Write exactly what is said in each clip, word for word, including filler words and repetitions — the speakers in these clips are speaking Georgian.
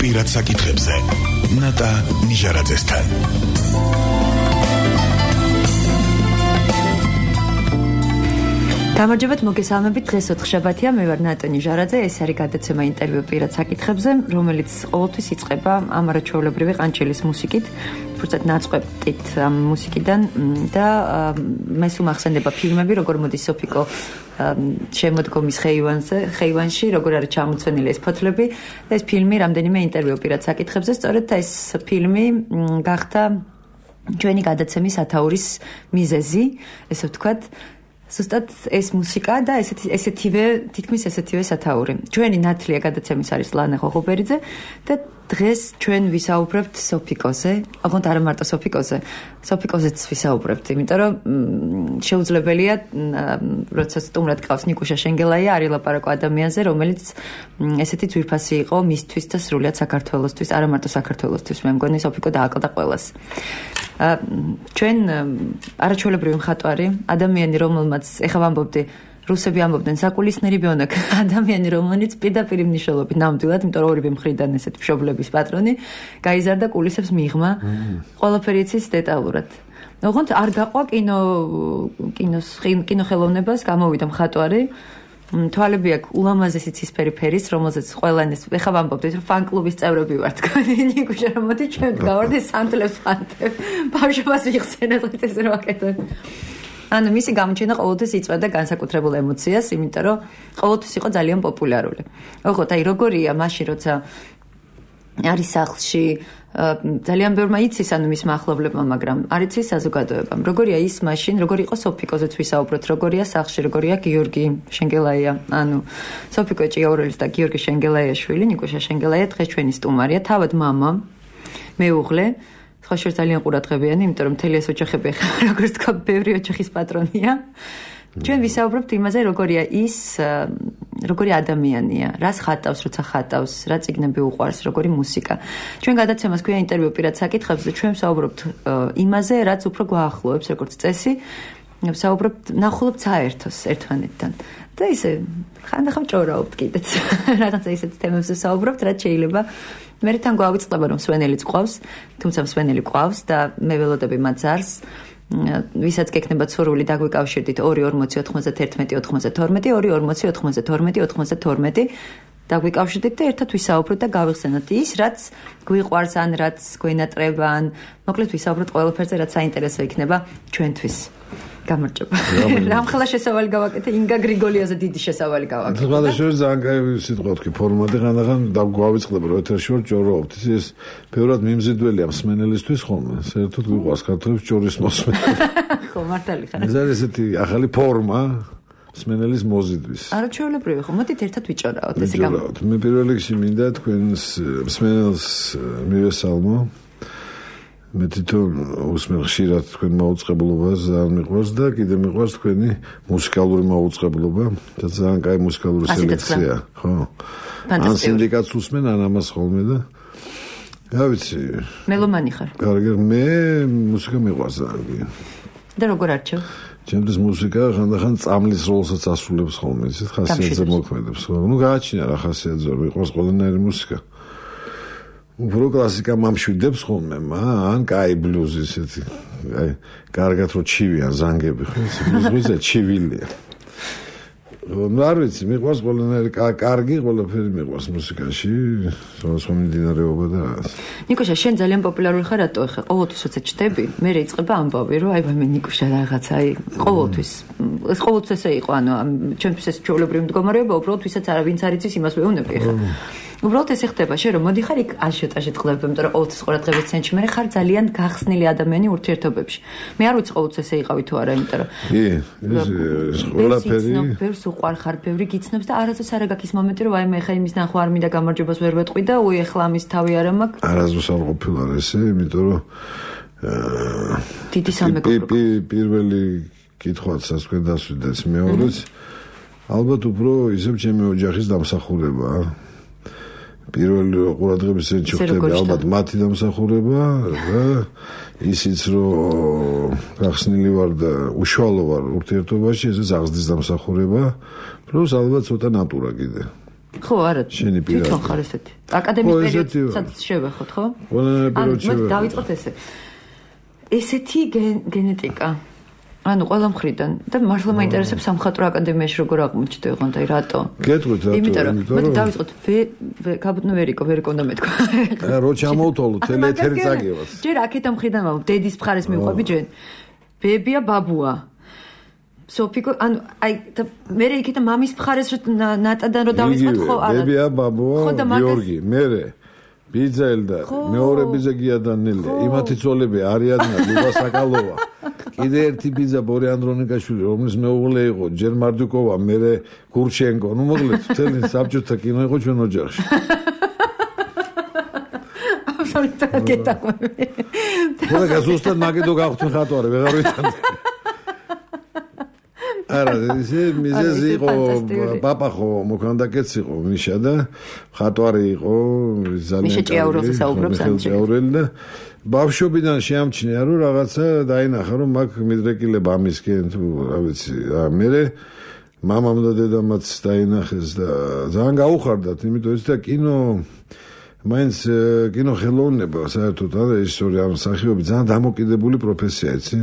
პირად საკითხებზე ნატა ნიჟარაძესთან. გამარჯობათ, მოგესალმებით. დღეს ოთხშაბათია, მე ვარ ნატა ნიჟარაძე. ეს არის გადაცემა ინტერვიუ პირად საკითხებზე, რომელიც ყოველთვის იწყება ამარაჩვეულებრივი ყანჩილის მუსიკით, თუმცა ნაწყვეტით ამ მუსიკიდან და მეს უმახსენდება ფილმები, როგორ მოდის სოფიკო შემოდგომის ხეივანზე, ხეივანში, როგორ არის ჩამოცვენილი ეს ფოთლები და ეს ფილმი რამდენიმე ინტერვიუ პირად საკითხებზე, სწორედ ეს ფილმი გახდა ჩვენი გადაცემის ათაურის მიზეზი, ესე ვთქვათ. Ზუსტად ეს მუსიკა და ესეთი ესეთივე თითქმის ესეთივე სათაური. ჩვენი ნათლია გადაცემის არის ლანა ღოღობერიძე და დღეს ჩვენ ვისაუბრებთ სოფიკოზე, ოღონდ არა მარტო სოფიკოზე, სოფიკოზეც ვისაუბრებთ, იმიტომ რომ შეუძლებელია როცა სტუმრად გყავს ნიკუშა შენგელაია, არის ლაპარაკო ადამიანზე, რომელიც ესეთი ძვირფასი იყო მისთვის და სრულიად საქართველოსთვის, არა მარტო საქართველოსთვის, მე მგონი სოფიკო დააკლდა ყველას. ჩვენ არაჩვეულებრივი მხატვარი, ადამიანი, რომელმაც ეხლა ვამბობდი, რუსები ამბობდნენ საკულისნერი ბიონაკ, ადამიანი, რომელიც პირდაპირ მნიშვნელობით ნამდვილად, იმიტომ რომ ორივე მხრიდან ესეთ მშობლების პატრონი, გაიზარდა კულისებს მიღმა, ყველაფერი იცის დეტალურად. ოღონდ არ გაყვა კინო კინოს კინოხელოვნებას, გამოვიდა მხატვარი. თვალები აქვს ულამაზესი ცისფერი ფერის, რომელზეც ყველანი ეხლა ვამბობდით, რომ ფან-კლუბის წევრები ვართ. ნიკუშა რომ მოდი ჩვენ გავარდეთ სანთლებს ფანტებ. ბავშვობას ვიხსენე დღეს ეს რო აკეთებ. ანუ მისი გამოჩენა ყოველთვის იწვევდა განსაკუთრებულ ემოციას, იმიტომ რომ ყოველთვის იყო ძალიან პოპულარული. ოღონდ აი როგორია მაშინ როცა არის სახლში ძალიან ბევრმა იცის ანუ მის მახლობლებმა, მაგრამ არ იცის საზოგადოებამ. როგორია ის მაშინ, როგორი იყო სოფიკოზეც ვისაუბროთ, როგორია სახლში, როგორია გიორგი შენგელაია, ანუ სოფიკო ჭიაურელის და გიორგი შენგელაიაშვილი, ნიკუშა შენგელაია დღეს ჩვენი სტუმარია, თავად მამა, მეუღლე, სხვა შორს ძალიან ყურადღებიანი, იმიტომ რომ მთელი ეს ოჯახები როგორც თქვა, ბევრი ოჯახის პატრონია. ჩვენ ვისაუბრებთ იმაზე, როგორია ის, როგორი ადამიანია, რას ხატავს, როცა ხატავს, რა წიგნები უყვარს, როგორი მუსიკა. ჩვენ გადაცემას ქვია ინტერვიუ პირად საკითხებზე, ჩვენ ვსაუბრობთ იმაზე, რაც უფრო გვაახლოებს, როგორც წესი, ვსაუბრობთ, ნახულობთ საერთოს ერთმანეთთან. და ისე ხანდახან ჭორაობთ კიდეც. რაღაცა ისეთ თემებზე ვსაუბრობთ, რაც შეიძლება მე თან გვავიწყდება, რომ მსვენელიც ყავს, თუმცა მსვენელი ყავს და მე ველოდები მათ ზარს. ვისაც გეკნებათ სურვილი დაგვიკავშირდით ორი ორმოცი ოთხმოცდაერთმეტი ოთხმოცდათორმეტი ორი ორმოცი ოთხმოცდათორმეტი ოთხმოცდათორმეტი დაგვიკავშირდით და ერთად ვისაუბროთ და გავიხსენოთ ის, რაც გვიყვარს ან რაც გვენატრება ან მოკლედ ვისაუბროთ ყველაფერზე, რაც საინტერესო იქნება ჩვენთვის. გამარჯობა. რამხელა შესავალი გავაკეთე, ინგა გრიგოლიაზე დიდი შესავალი გავაკეთე. სხვადასხვა ძალიან კაი სიტყვა თქვი, ფორმატი ხანდახან დაგვავიწყდება, რომ ეთერში ვარ ჭორაობთ. ეს ბევრად მიმზიდველია მსმენელისთვის ხოლმე. საერთოდ გვიყვარს ქართველებს ჭორის მოსმენა. ხო, მართალი ხარ. ეს არის ესეთი ახალი ფორმა მსმენელის მოზიდვის. არაჩვეულებრივი ხო, მოდით ერთად ვიჭორაოთ, ესე გამო. მე პირველ რიგში მინდა თქვენს მსმენელს მივესალმო. მე თვითონ უსმენ ხშირად თქვენ მაუწყებლობას ძალიან მიყვარს და კიდე მიყვარს თქვენი მუსიკალური მაუწყებლობა და ძალიან კაი მუსიკალური სელექცია, ხო? ან სინდიკატს უსმენ, ან ამას ხოლმე და რა ვიცი. მელომანი ხარ? კარგი, მე მუსიკა მიყვარს ძალიან. და როგორ არჩევ? ჩემთვის მუსიკა ხანდახან წამლის როლსაც ასრულებს ხოლმე, ისეთ ხასიათზე მოქმედებს. ნუ გააჩინა რა ხასიათზე, მიყვარს ყველანაირი მუსიკა. უფრო კლასიკა მამშვიდებს ხოლმე, ან კაი ბლუზი ესეთი. აი, კარგად რო ჩივიან ზანგები, ხო? ბლუზი ჩივილია. ნუ არ ვიცი, მიყვარს ყველანაირი კარგი, ყველაფერი მიყვარს მუსიკაში, სხვადასხვა მიმდინარეობა და რაღაც. ნიკუშა, შენ ძალიან პოპულარული ხარ, რატო ხარ? ყოველთვის როცა ჩდები, მე რეიწყება ამბავი, რომ აი მე ნიკუშა რაღაცა, აი, ყოველთვის. ეს ყოველთვის ესე იყო, ანუ ჩემთვის ეს ჩვეულებრივი მდგომარეობა, უბრალოდ ვისაც არა ვინც არ იცის, იმას ვეუბნები ხა. უბრალოდ ესე ხდება, შენ რომ მოდი ხარ იქ აშოტაჟეთ ხდება, იმიტომ რომ ყოველთვის ყურადღების ცენტრში მე ხარ ძალიან გახსნილი ადამიანი ურთიერთობებში. მე არ ვიცი ყოველთვის ესე იყავი თუ არა, იმიტომ რომ კი, ეს ყველაფერი ბევრს უყვარ ხარ, ბევრი გიცნობს და არასდროს არ გაქის მომენტი რომ აი მე ხა იმის ნახვა არ მინდა გამარჯვებას ვერ ვეტყვი და უი ეხლა ამის თავი არა მაქვს. არასდროს არ ყოფილა ესე, იმიტომ რომ დიდი სამეგობრო პირველი კითხვაც თქვენ დასვიდეთ მეორეც ალბათ უფრო ისევ ჩემი ოჯახის დამსახურებაა. პირველი ყურადღების ცენტრში ხდება ალბათ მათი დამსახურება და ისიც რომ გახსნილი ვარ და უშუალო ვარ ურთიერთობაში, ესეც აღზრდის დამსახურება, პლუს ალბათ ცოტა ნატურა კიდე. ხო, არა. თვითონ ხარ ესეთი. აკადემიის პერიოდსაც შევეხოთ, ხო? ყველანაირ პერიოდში. ანუ დავიწყოთ ესე. ესეთი გენეტიკა. ანუ ყველა მხრიდან და მართლა მაინტერესებს სამხატვრო აკადემიაში როგორ აღმოჩნდა ოღონდ აი რატო? გეტყვით რატო? იმიტომ რომ მოდი დავიწყოთ გაბუდნო ვერიკო ვერიკო უნდა მეთქვა. რა რო ჩამოვთვალო თელ ეთერი წაგევას. ჯერ აქეთ ამ მხრიდან მაქვს დედის მხარეს მივყვები ჯერ. ბებია ბაბუა. სოფიკო ანუ აი და მე იქით მამის მხარეს ნატადან რო დავიწყოთ ხო არა. ბებია ბაბუა გიორგი მერე ბიძელ და მეორე ბიძა გიადანელი იმათი ძოლები არიანა ლუგა საკალოვა კიდე ერთი ბიძა ბორე ანდრონიკაშვილი რომლის მეუღლე იყო ჯერ მარდუკოვა მერე გურჩენკო ნუ მოკლედ მთელი საბჭოთა კინო იყო ჩვენ ოჯახში აბსოლუტურად გეტყვი ხოდა გასუსტად მაგედო გავხდი ხატვარი ვეღარ ვიცანდი არა ისე მიზეზი იყო პაპა ხო მოქანდაკეც იყო მიშა და ხატვარი იყო ძალიან მიშა ჭიაურელზე საუბრობს ამჯერად და ბავშვობიდან შეამჩნია რომ რაღაცა დაინახა რომ მაგ მიდრეკილება ამისკენ თუ რა ვიცი მე მამამ და დედამაც დაინახეს და ძალიან გაუხარდათ იმიტომ ის და კინო მაინც კინო ხელოვნება საერთოდ არა რეჟისორი ამ სახიობი ძალიან დამოკიდებული პროფესია იცი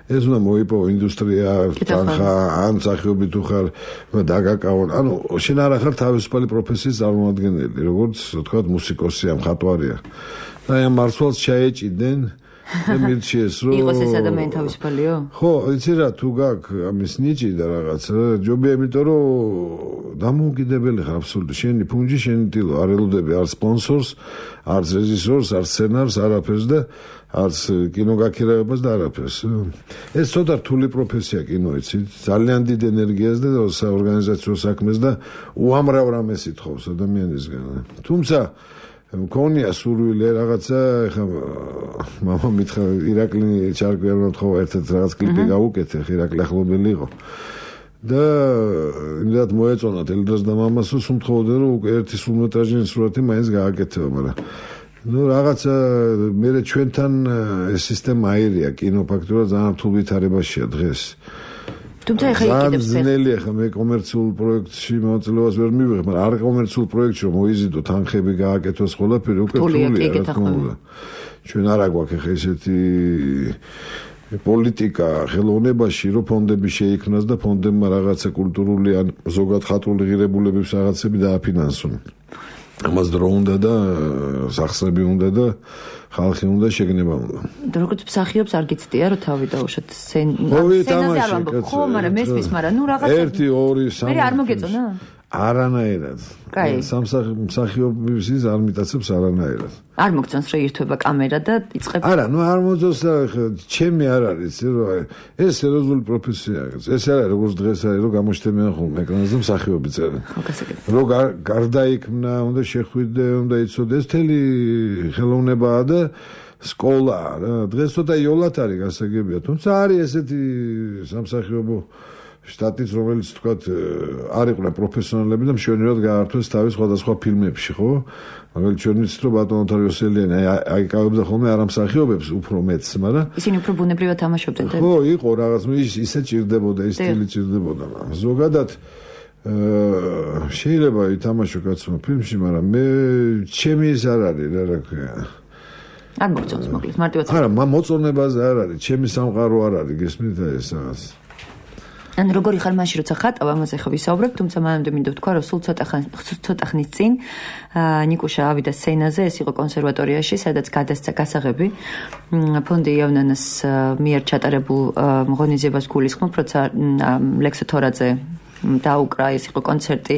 ეს უნდა მოიპოვო ინდუსტრია თანხა ან სახიობი თუ ხარ დაგაკავონ ანუ შენ არა ხარ თავისუფალი პროფესიის წარმომადგენელი როგორც თქვა მუსიკოსი ამ ხატვარია და ამ მარცვალს ჩაეჭიდნენ და მირჩიეს რომ იყოს ეს ადამიანი თავისუფალიო? ხო, იცი რა თუ გაქვს ამის ნიჭი და რაღაც ჯობია იმიტომ რომ დამოუკიდებელი ხარ აბსოლუტურად შენი ფუნჯი შენი ტილო არ ელოდები არ სპონსორს არც რეჟისორს არ სცენარს არაფერს და არც კინოგაქირავებას და არაფერს ეს ცოტა რთული პროფესია კინო იცი ძალიან დიდ ენერგიას და საორგანიზაციო საქმეს და უამრავ რამეს ითხოვს ადამიანისგან თუმცა მქონია სურვილი რაღაცა ეხა მამა მითხრა ირაკლი ჩარკვი არ მომთხოვა ერთად რაღაც კლიპი გავუკეთე ირაკლი ახლობელი იყო და იმდათ მოეწონა ელდრას და მამას უმთხოვდნენ რომ ერთი სრულმეტრაჟიანი სურათი მაინც გააკეთება მაგრამ ну რაღაცა მე ჩვენთან ეს სისტემა აირია კინო ფაქტურად ძალიან რთულ ვითარებაშია დღეს თუმცა ეხა იყიდებს ძნელია ხა მე კომერციულ პროექტში მოწლევას ვერ მივიღებ, მაგრამ არ კომერციულ პროექტში რომ მოიზიდო თანხები გააკეთოს ყველაფერი უკვე რთულია რა თქმა უნდა. ჩვენ არ აგვაქვს ეხა ესეთი პოლიტიკა ხელოვნებაში რომ ფონდები შეიქმნას და ფონდებმა რაღაცა კულტურული ან ზოგად ხატული ღირებულებების რაღაცები დააფინანსონ. ამას დრო უნდა და სახსრები უნდა და ხალხი უნდა შეგნება უნდა. და როგორც მსახიობს არ გიცდია რომ თავი დაუშვათ სცენაზე არ ვამბობ ხო, მაგრამ მესმის, მაგრამ ნუ რაღაცა ერთი, ორი, სამი. მე არ მოგეწონა? არანაირად. სამსახიობის ის არ მიტაცებს არანაირად. არ მოგწონს რომ ირთვება კამერა და იწყება. არა, ნუ არ მოძოს ჩემი არ არის, რომ ეს სერიოზული პროფესია. ეს არა როგორც დღეს არის, რომ გამოჩნდება ხოლმე ეკრანზე მსახიობი წერა. ხო, გასაგებია. რომ გარდაიქმნა, უნდა შეხვიდე, უნდა იცოდე, ეს თელი ხელოვნებაა და სკოლა რა. დღეს ცოტა იოლად არის გასაგებია, თუმცა არის ესეთი სამსახიობო შტატიც რომელიც თქვათ არ იყვნენ პროფესიონალები და მშვენივრად გაართვეს თავის სხვადასხვა ფილმებში, ხო? მაგრამ ჩვენ ვიცით რომ ბატონო თარიოსელიანი აიკავებდა ხოლმე არ ამსახიობებს უფრო მეც, მაგრამ ისინი უფრო ბუნებრივად თამაშობდნენ და ხო, იყო რაღაც ის ისე ჭირდებოდა, ის სტილი ჭირდებოდა. ზოგადად შეიძლება ითამაშო კაცმა ფილმში, მაგრამ მე ჩემი ის არ არის, რა რა ქვია. არ მოგწონს მოკლედ, მარტივად. არა, მოწონებაზე არ არის, ჩემი სამყარო არ არის, გესმით ეს რაღაც. ან როგორი ხარ მაშინ როცა ხატავ ამაზე ხო ვისაუბრებ, თუმცა მანამდე მინდა ვთქვა რომ სულ ცოტა ხან ცოტა ხნის წინ ნიკუშა ავიდა სცენაზე, ეს იყო კონსერვატორიაში, სადაც გადასცა გასაღები ფონდი იავნანას მიერ ჩატარებულ ღონისძიებას გულისხმობ, როცა ლექსო თორაძე დაუკრა, ეს იყო კონცერტი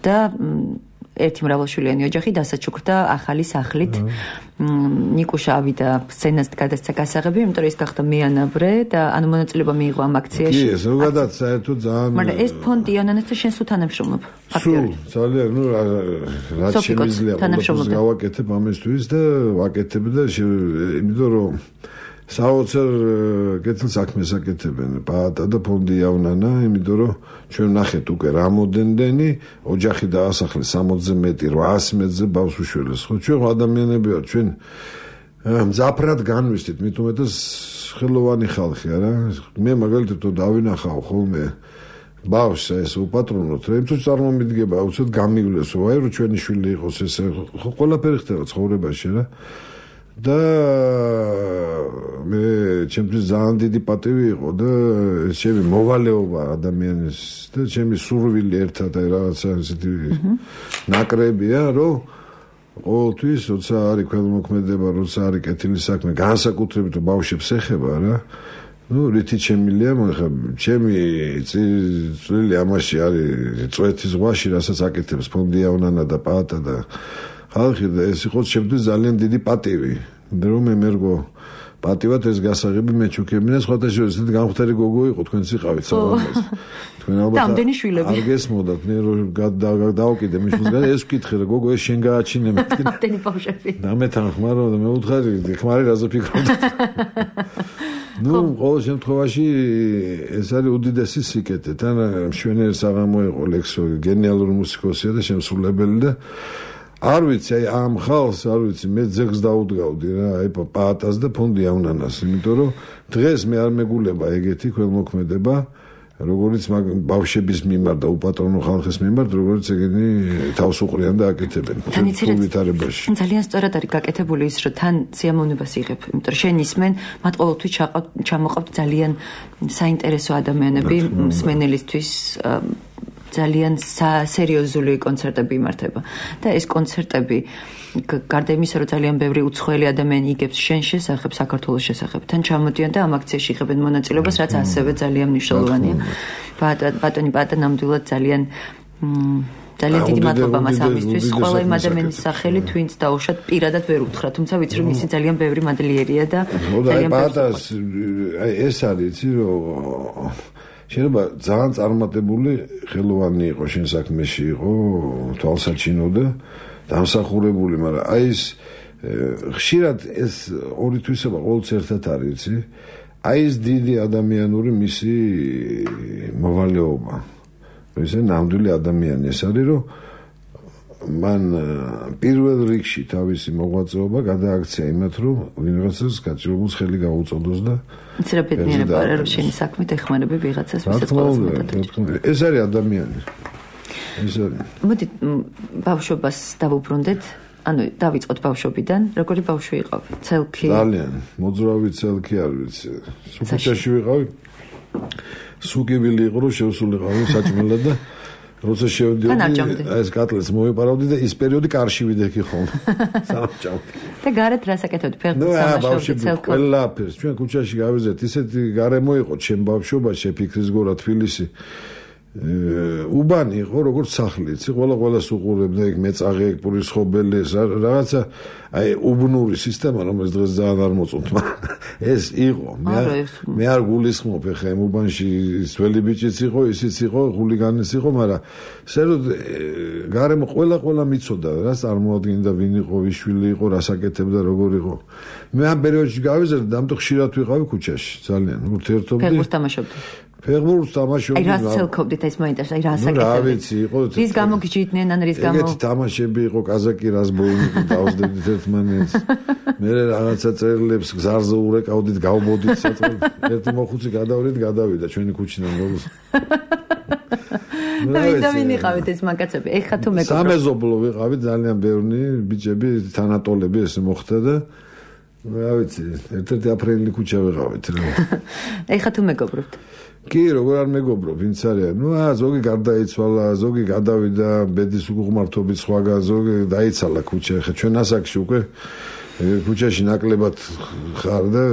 და ერთი მრავალშვილიანი ოჯახი დასაჩუქრდა ახალი სახლით. ნიკუშა ავიდა სცენაზე გადასცა გასაღები, იმიტომ რომ ის გახდა მეანაბრე და ანუ მონაწილეობა მიიღო ამ აქციაში. კი, ზოგადად საერთოდ ძალიან მაგრამ ეს ფონდი იანანასთან შენ სულ თანამშრომლობ. სულ ძალიან, ნუ რაც შემიძლია ყველაფერს გავაკეთებ ამისთვის და ვაკეთებ და იმიტომ რომ საოცარ კეთილ საქმეს აკეთებენ პაატა და ფონდი იავნანა, იმიტომ რომ ჩვენ ნახეთ უკვე რამოდენდენი ოჯახი დაასახლეს სამოცზე მეტი, რვაასი მეტრზე ბავშვ უშველეს. ხო, ჩვენ ადამიანები ვართ, ჩვენ მძაფრად განვისთით, მით უმეტეს ხელოვანი ხალხი, არა? მე მაგალითად დავინახავ ხოლმე ბავშვს ეს უპატრონოთ, რა თუ წარმომიდგება, უცებ გამივლესო, აი რო ჩვენი შვილი იყოს ესე, ყველაფერი ხდება ცხოვრებაში რა. და მე ჩემთვის ძალიან დიდი პატივი იყო და ჩემი მოვალეობა ადამიანის და ჩემი სურვილი ერთად აი რაღაცა ესეთი ნაკრებია, რომ ყოველთვის როცა არის ქველმოქმედება, როცა არის კეთილი საქმე, განსაკუთრებით ბავშვებს ეხება რა. ну რითი შემილია ხა ჩემი წილი ამაში არის წვეთის ზღვაში რასაც აკეთებს ფონდი ავნანა და პაატა და ხალხი და ეს იყო შემდგომ ძალიან დიდი პატივი რომ მე მერგო პატივად ეს გასაღები მეჩუქებინა სხვათა შორის ესეთი განხუთარი გოგო იყო თქვენც იყავით საღამოს თქვენ ალბათ არ გესმოდათ მე რომ დავკიდე მიშულს ეს ვკითხე რა გოგო ეს შენ გააჩინე მეთქი ამდენი ბავშვები და მე თან ხმარო და მე უთხარი ხმარი რაზე ფიქრობდი ну ყოველ შემთხვევაში ეს არის უდიდესი სიკეთე თან მშვენიერი საღამო იყო ლექსო გენიალური მუსიკოსია და შემსრულებელი და არ ვიცი აი ამ ხალხს არ ვიცი მე ძეგს დაუდგავდი რა აი პაატას და ფონდი ავნანას იმიტომ რომ დღეს მე არ მეგულება ეგეთი ქველმოქმედება როგორც ბავშვების მიმართ და უპატრონო ხალხის მიმართ როგორც ეგენი თავს უყრიან და აკეთებენ თვითარებაში ძალიან სწორად არის გაკეთებული ის რომ თან სიამოვნებას იღებ იმიტომ რომ შენ ისმენ მათ ყოველთვის ჩამოყავთ ძალიან საინტერესო ადამიანები მსმენელისთვის ძალიან სერიოზული კონცერტები იმართება და ეს კონცერტები გარდა იმისა რომ ძალიან ბევრი უცხოელი ადამიანი იგებს შენ შესახებ საქართველოს შესახებ თან ჩამოდიან და ამ აქციაში იღებენ მონაწილეობას რაც ასევე ძალიან მნიშვნელოვანია ბატონი პაატა ნამდვილად ძალიან ძალიან დიდი მადლობა მას ამისთვის ყველა იმ ადამიანის სახელით ვინც დაუშვათ პირადად ვერ უთხრა თუმცა ვიცი რომ ისი ძალიან ბევრი მადლიერია და ძალიან პაატას აი ეს არის იცი რომ შეიძლება ძალიან წარმატებული ხელოვანი იყო შენ საქმეში იყო თვალსაჩინო და დამსახურებული მაგრამ აი ეს ხშირად ეს ორი თვისება ყოველთვის ერთად არის იცი აი ეს დიდი ადამიანური მისი მოვალეობა ესე ნამდვილი ადამიანი ეს არის რომ მან პირველ რიგში თავისი მოღვაწეობა გადააქცია იმათ რომ ვიღაცას გაჭირებულს ხელი გაუწოდოს და იცი ბედნიერება არა რომ შენი საქმით ეხმარები ვიღაცას ვისაც ყოველს მეტად ეს არის ადამიანი ეს არის მოდი ბავშვობას დავუბრუნდეთ ანუ დავიწყოთ ბავშვობიდან როგორი ბავშვი იყავი ცელქი ძალიან მოძრავი ცელქი არ ვიცი სუქუჩაში ვიყავი სუგივილი იყო რომ შევსულიყავი საჭმელად და როცა შევდიოდი ეს კატლეს მოვიპარავდი და ის პერიოდი კარში ვიდექი ხოლმე სამჭავდი და გარეთ რას აკეთებდი ფეხბურთს სამაშობდი ცელქი ყველაფერს ჩვენ ქუჩაში გავიზეთ ისეთი გარემო იყო ჩემ ბავშვობაში ფიქრის გორა თბილისი უბანი იყო როგორც სახლი იცი ყველა ყველას უყურებდა ეგ მეწაღე ეგ პურის ხობელი ეს რაღაცა აი უბნური სისტემა რომელიც დღეს ძალიან არ მოწონთ ეს იყო მე მე არ გულისხმობ ხე ამ უბანში ძველი ბიჭიც იყო ისიც იყო ხულიგანიც იყო მაგრამ ესე რომ გარემო ყველა ყველა მიცოდა რა წარმოადგენდა ვინ იყო ვიშვილი იყო რას აკეთებდა როგორ იყო მე ამ პერიოდში გავიზარდე და ამიტომ ხშირად ვიყავი ქუჩაში ძალიან ურთიერთობდი ფეხბურთს თამაშობდი ფეხბურთს თამაშობდი აი რას ცელქობდით ეს მაინტერესა აი რას აკეთებდით რა ვიცი იყო რის გამო გიჭიდნენ ან რის გამო ეგეთი თამაშები იყო კაზაკი რაზბოინი დავსდებდით ერთმანეთს მე რაღაცა წერილებს გზარზე ურეკავდით გავმოდით საწყოდ ერთი მოხუცი გადავრით გადავიდა ჩვენი ქუჩიდან გოგოს და ვინ და ვინ იყავით ეს მაგაცები ეხა თუ მეგობრებო სამეზობლო ვიყავით ძალიან ბევრი ბიჭები თანატოლები ესე მოხდა და რა ვიცი ერთ-ერთი აფრენილი ქუჩა ვიყავით რა ეხა თუ მეგობრობთ კი როგორ არ მეგობრობ ვინც არის ნუ აა ზოგი გარდაიცვალა ზოგი გადავიდა ბედის უღმართობით სხვაგან ზოგი დაიცალა ქუჩა ხა ჩვენ ასაკში უკვე ქუჩაში ნაკლებად ხარ და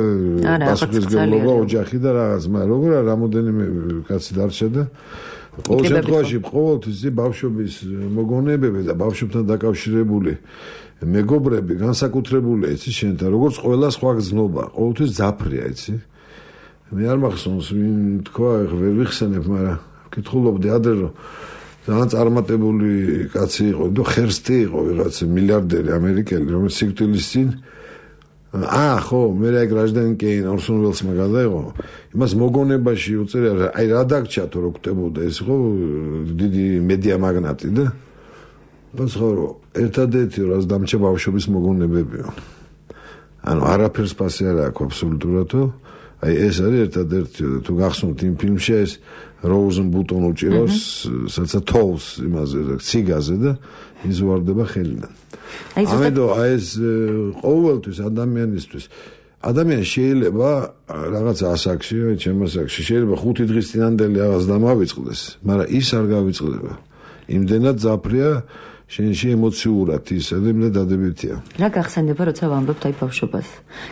პასუხისმგებლობა ოჯახი და რაღაც მაგრამ როგორ არ რამოდენიმე კაცი დარჩა და ყოველ შემთხვევაში ყოველთვის ბავშვობის მოგონებები და ბავშვებთან დაკავშირებული მეგობრები განსაკუთრებულია იცი შენთან როგორც ყველა სხვა გზნობა ყოველთვის ძაფრია იცი მე არ მახსოვს ვინ თქვა ვერ ვიხსენებ მაგრამ ვკითხულობდი ადრე რომ ძალიან წარმატებული კაცი იყო და ხერსტი იყო ვიღაცა მილიარდერი ამერიკელი რომელიც სიკვდილის წინ აა ხო მე რა გრაჟდანი კეინ ორსონ ველსმა გადაიღო იმას მოგონებაში უწერია აი რა დაგჭათო რო გტებოდა ეს ხო დიდი მედია მაგნატი და ბასხორო ერთადერთი რაც დამჭა ბავშვობის მოგონებებია ანუ არაფერს ფასი არ აქვს აბსოლუტურადო აი ეს არის ერთადერთი თუ გახსოვთ იმ ფილმში ეს Rosenbutton უჭირავს სადაც თოვს იმაზე ციგაზე და ის ვარდება ხელიდან. ამედო აი ეს ყოველთვის ადამიანისთვის ადამიანი შეიძლება რაღაც ასაკში, აი ჩემ ასაკში შეიძლება ხუთი დღის წინანდელი რაღაც დამავიწყდეს, მაგრამ ის არ გავიწყდება. იმდენად ძაფრია შენში ემოციურად ისა და იმდენად დადებითია. რა გახსენდება, როცა ვამბობთ აი ბავშვობას?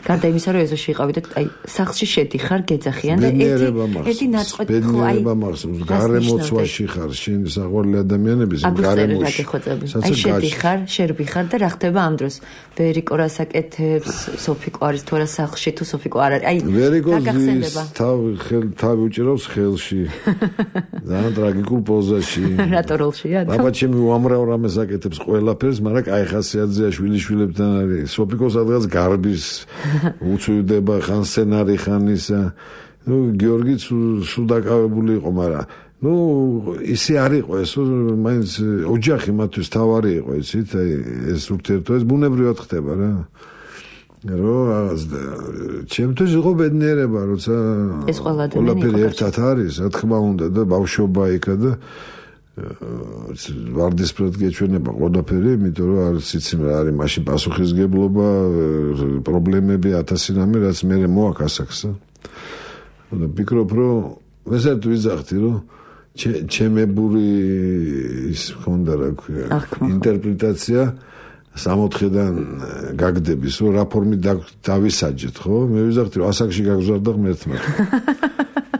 გარდა იმისა, რომ ეზოში იყავით, აი სახლში შედიხარ, გეძახიან და ერთი ერთი ნაწყვეტ ხო აი ბედნიერება გარემოცვაში ხარ, შენი საყვარელი ადამიანების გარემოში. აი შედიხარ, შერბიხარ და რა ხდება ამ დროს? ვერიკო რას აკეთებს, სოფიკო არის თუ არა სახლში თუ სოფიკო არ არის. აი რა გახსენდება? თავი ხელ თავი უჭირავს ხელში. ძალიან ტრაგიკულ პოზაში. რატო როლშია? აბა ჩემი უამრავ რამეს აკეთებს ყველაფერს, მაგრამ კაი ხასიათზეა შვილიშვილებთან არის. სოფიკო სადღაც გარბის უცვიდება ხან სცენარი ხან ისა. ნუ გიორგიც სულ დაკავებული იყო, მაგრამ ნუ ისე არ იყო ეს, მაინც ოჯახი მათთვის თავარი იყო, იცით, აი ეს ურთიერთობა ეს ბუნებრივად ხდება რა. რო რაღაც ჩემთვის იყო ბედნიერება, როცა ეს ყველაფერი ერთად არის, რა თქმა უნდა და ბავშვობა იქა და ვარდისფრად გეჩვენება ყველაფერი, იმიტომ რომ არ ვიცი რა არის მაშინ პასუხისგებლობა, პრობლემები ათასი რამე, რაც მე მოაქვს ასაკს. და ვფიქრობ, რომ ესეთ ვიზახთი, რომ ჩემებური ის მქონდა რა ქვია, ინტერპრეტაცია სამოთხიდან გაგდების, რომ რა ფორმით დავისაჯეთ, ხო? მე ვიზახთი, რომ ასაკში გაგზავნა ღმერთმა.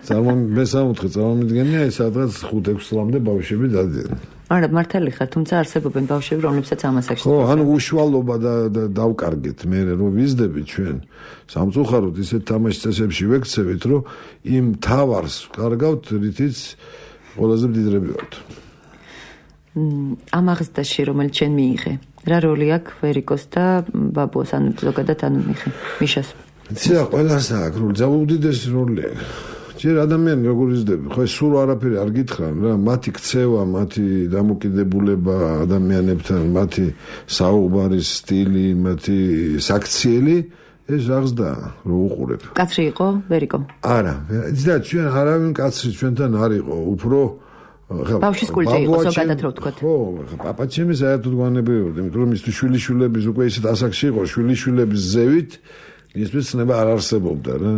მე სამოთხე წარმომიდგენია ეს სადღაც ხუთ ექვს წლამდე ბავშვები დადიან. არა, მართალი ხარ, თუმცა არსებობენ ბავშვები, რომლებსაც ამ ასაკში. ხო, ანუ უშუალობა და დავკარგეთ მე რომ ვიზდები ჩვენ. სამწუხაროდ ისეთ თამაშ წესებში ვექცევით, რომ იმ თავარს კარგავთ, რითიც ყველაზე მდიდრები ვართ. ამ აღზრდაში რომელიც ჩვენ მიიღე, რა როლი აქვს ვერიკოს და ბაბუას, ანუ ზოგადად ანუ მიშას? იცი რა, ყველას აქვს როლი, უდიდესი როლი აქვს. ჯერ ადამიანი როგორ იზრდება, ხო ეს სულ არაფერი არ გითხრან რა, მათი ქცევა, მათი დამოკიდებულება ადამიანებთან, მათი საუბარის სტილი, მათი საქციელი, ეს აღზრდა რო უყურებ. კაცრი იყო ვერიკო? არა, იცი რა, ჩვენ არავინ კაცრი ჩვენთან არ იყო, უფრო ბავშვის კულტი იყო ზოგადად რო ვთქვათ. ხო, პაპა ჩემი საერთოდ გვანებრივებდა, იმიტომ რომ მისთვის შვილიშვილების უკვე ისეთ ასაკში იყო, შვილიშვილების ზევით ისმის ცნება არ არსებობდა რა.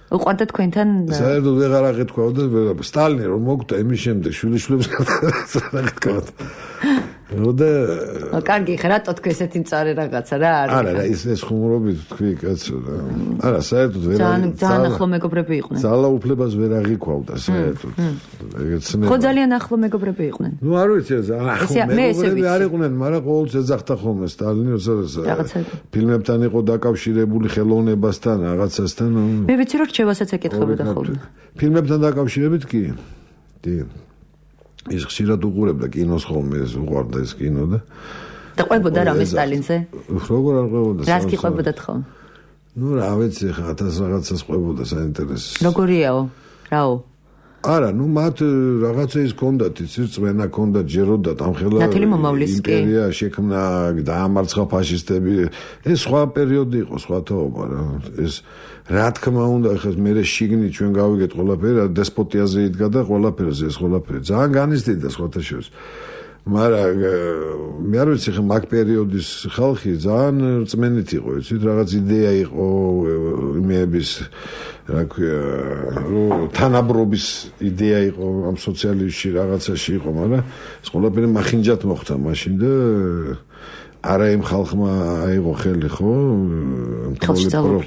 უყვარდა თქვენთან საერთოდ ვეღარ აღეთქვაოდა სტალინი რომ მოკვდა იმის შემდეგ შვილიშვილებს არ აღეთქვაოდა. როდა კარგი ხარ, რატო თქვი ესეთი მწარე რაღაცა რა არის? არა, რა ის ეს ხუმრობით თქვი კაცო რა. არა, საერთოდ ვერ ძალიან ძალიან ახლო მეგობრები იყვნენ. ძალაუფლებას ვერ აღიქვავდა საერთოდ. ეგეც ნება. ხო ძალიან ახლო მეგობრები იყვნენ. ნუ არ ვიცი ეს ახლო მეგობრები არ იყვნენ, მაგრამ ყოველთვის ეძახდა ხოლმე სტალინი, როდესაც ფილმებთან იყო დაკავშირებული ხელოვნებასთან, რაღაცასთან. მე ვიცი რომ რჩევასაც ეკითხებოდა ხოლმე. ფილმებთან დაკავშირებით კი. დი ის ხშირად უყურებდა კინოს ხოლმე, ეს უყვარდა ეს კინო და და ყვებოდა რამე სტალინზე? როგორ არ ყვებოდა? რას კი ყვებოდათ ხოლმე? ნუ რა ვიცი, ხა ათას რაღაცას ყვებოდა საინტერესო. როგორიაო? რაო? არა, ნუ მათ რაღაცა ის ჰქონდათ, იცი, წვენა ჰქონდათ, ჯეროდათ ამხელა იმპერია შექმნა, დაამარცხა ფაშისტები. ეს სხვა პერიოდი იყო, სხვა თაობა რა. ეს რა თქმა უნდა, ხა მე შიგნით ჩვენ გავიგეთ ყველაფერი, დესპოტიაზე იდგა და ყველაფერზე ეს ყველაფერი. ძალიან განიცდიდა სხვათა შორის. მაგრამ მე არ ვიცი ხა მაგ პერიოდის ხალხი ძალიან რწმენით იყო, იცით, რაღაც იდეა იყო იმეების რა ქვია, თანაბრობის იდეა იყო ამ სოციალიზმში რაღაცაში იყო, მაგრამ ეს ყველაფერი მახინჯად მოხდა მაშინ და არა იმ ხალხმა აიღო ხელი, ხო?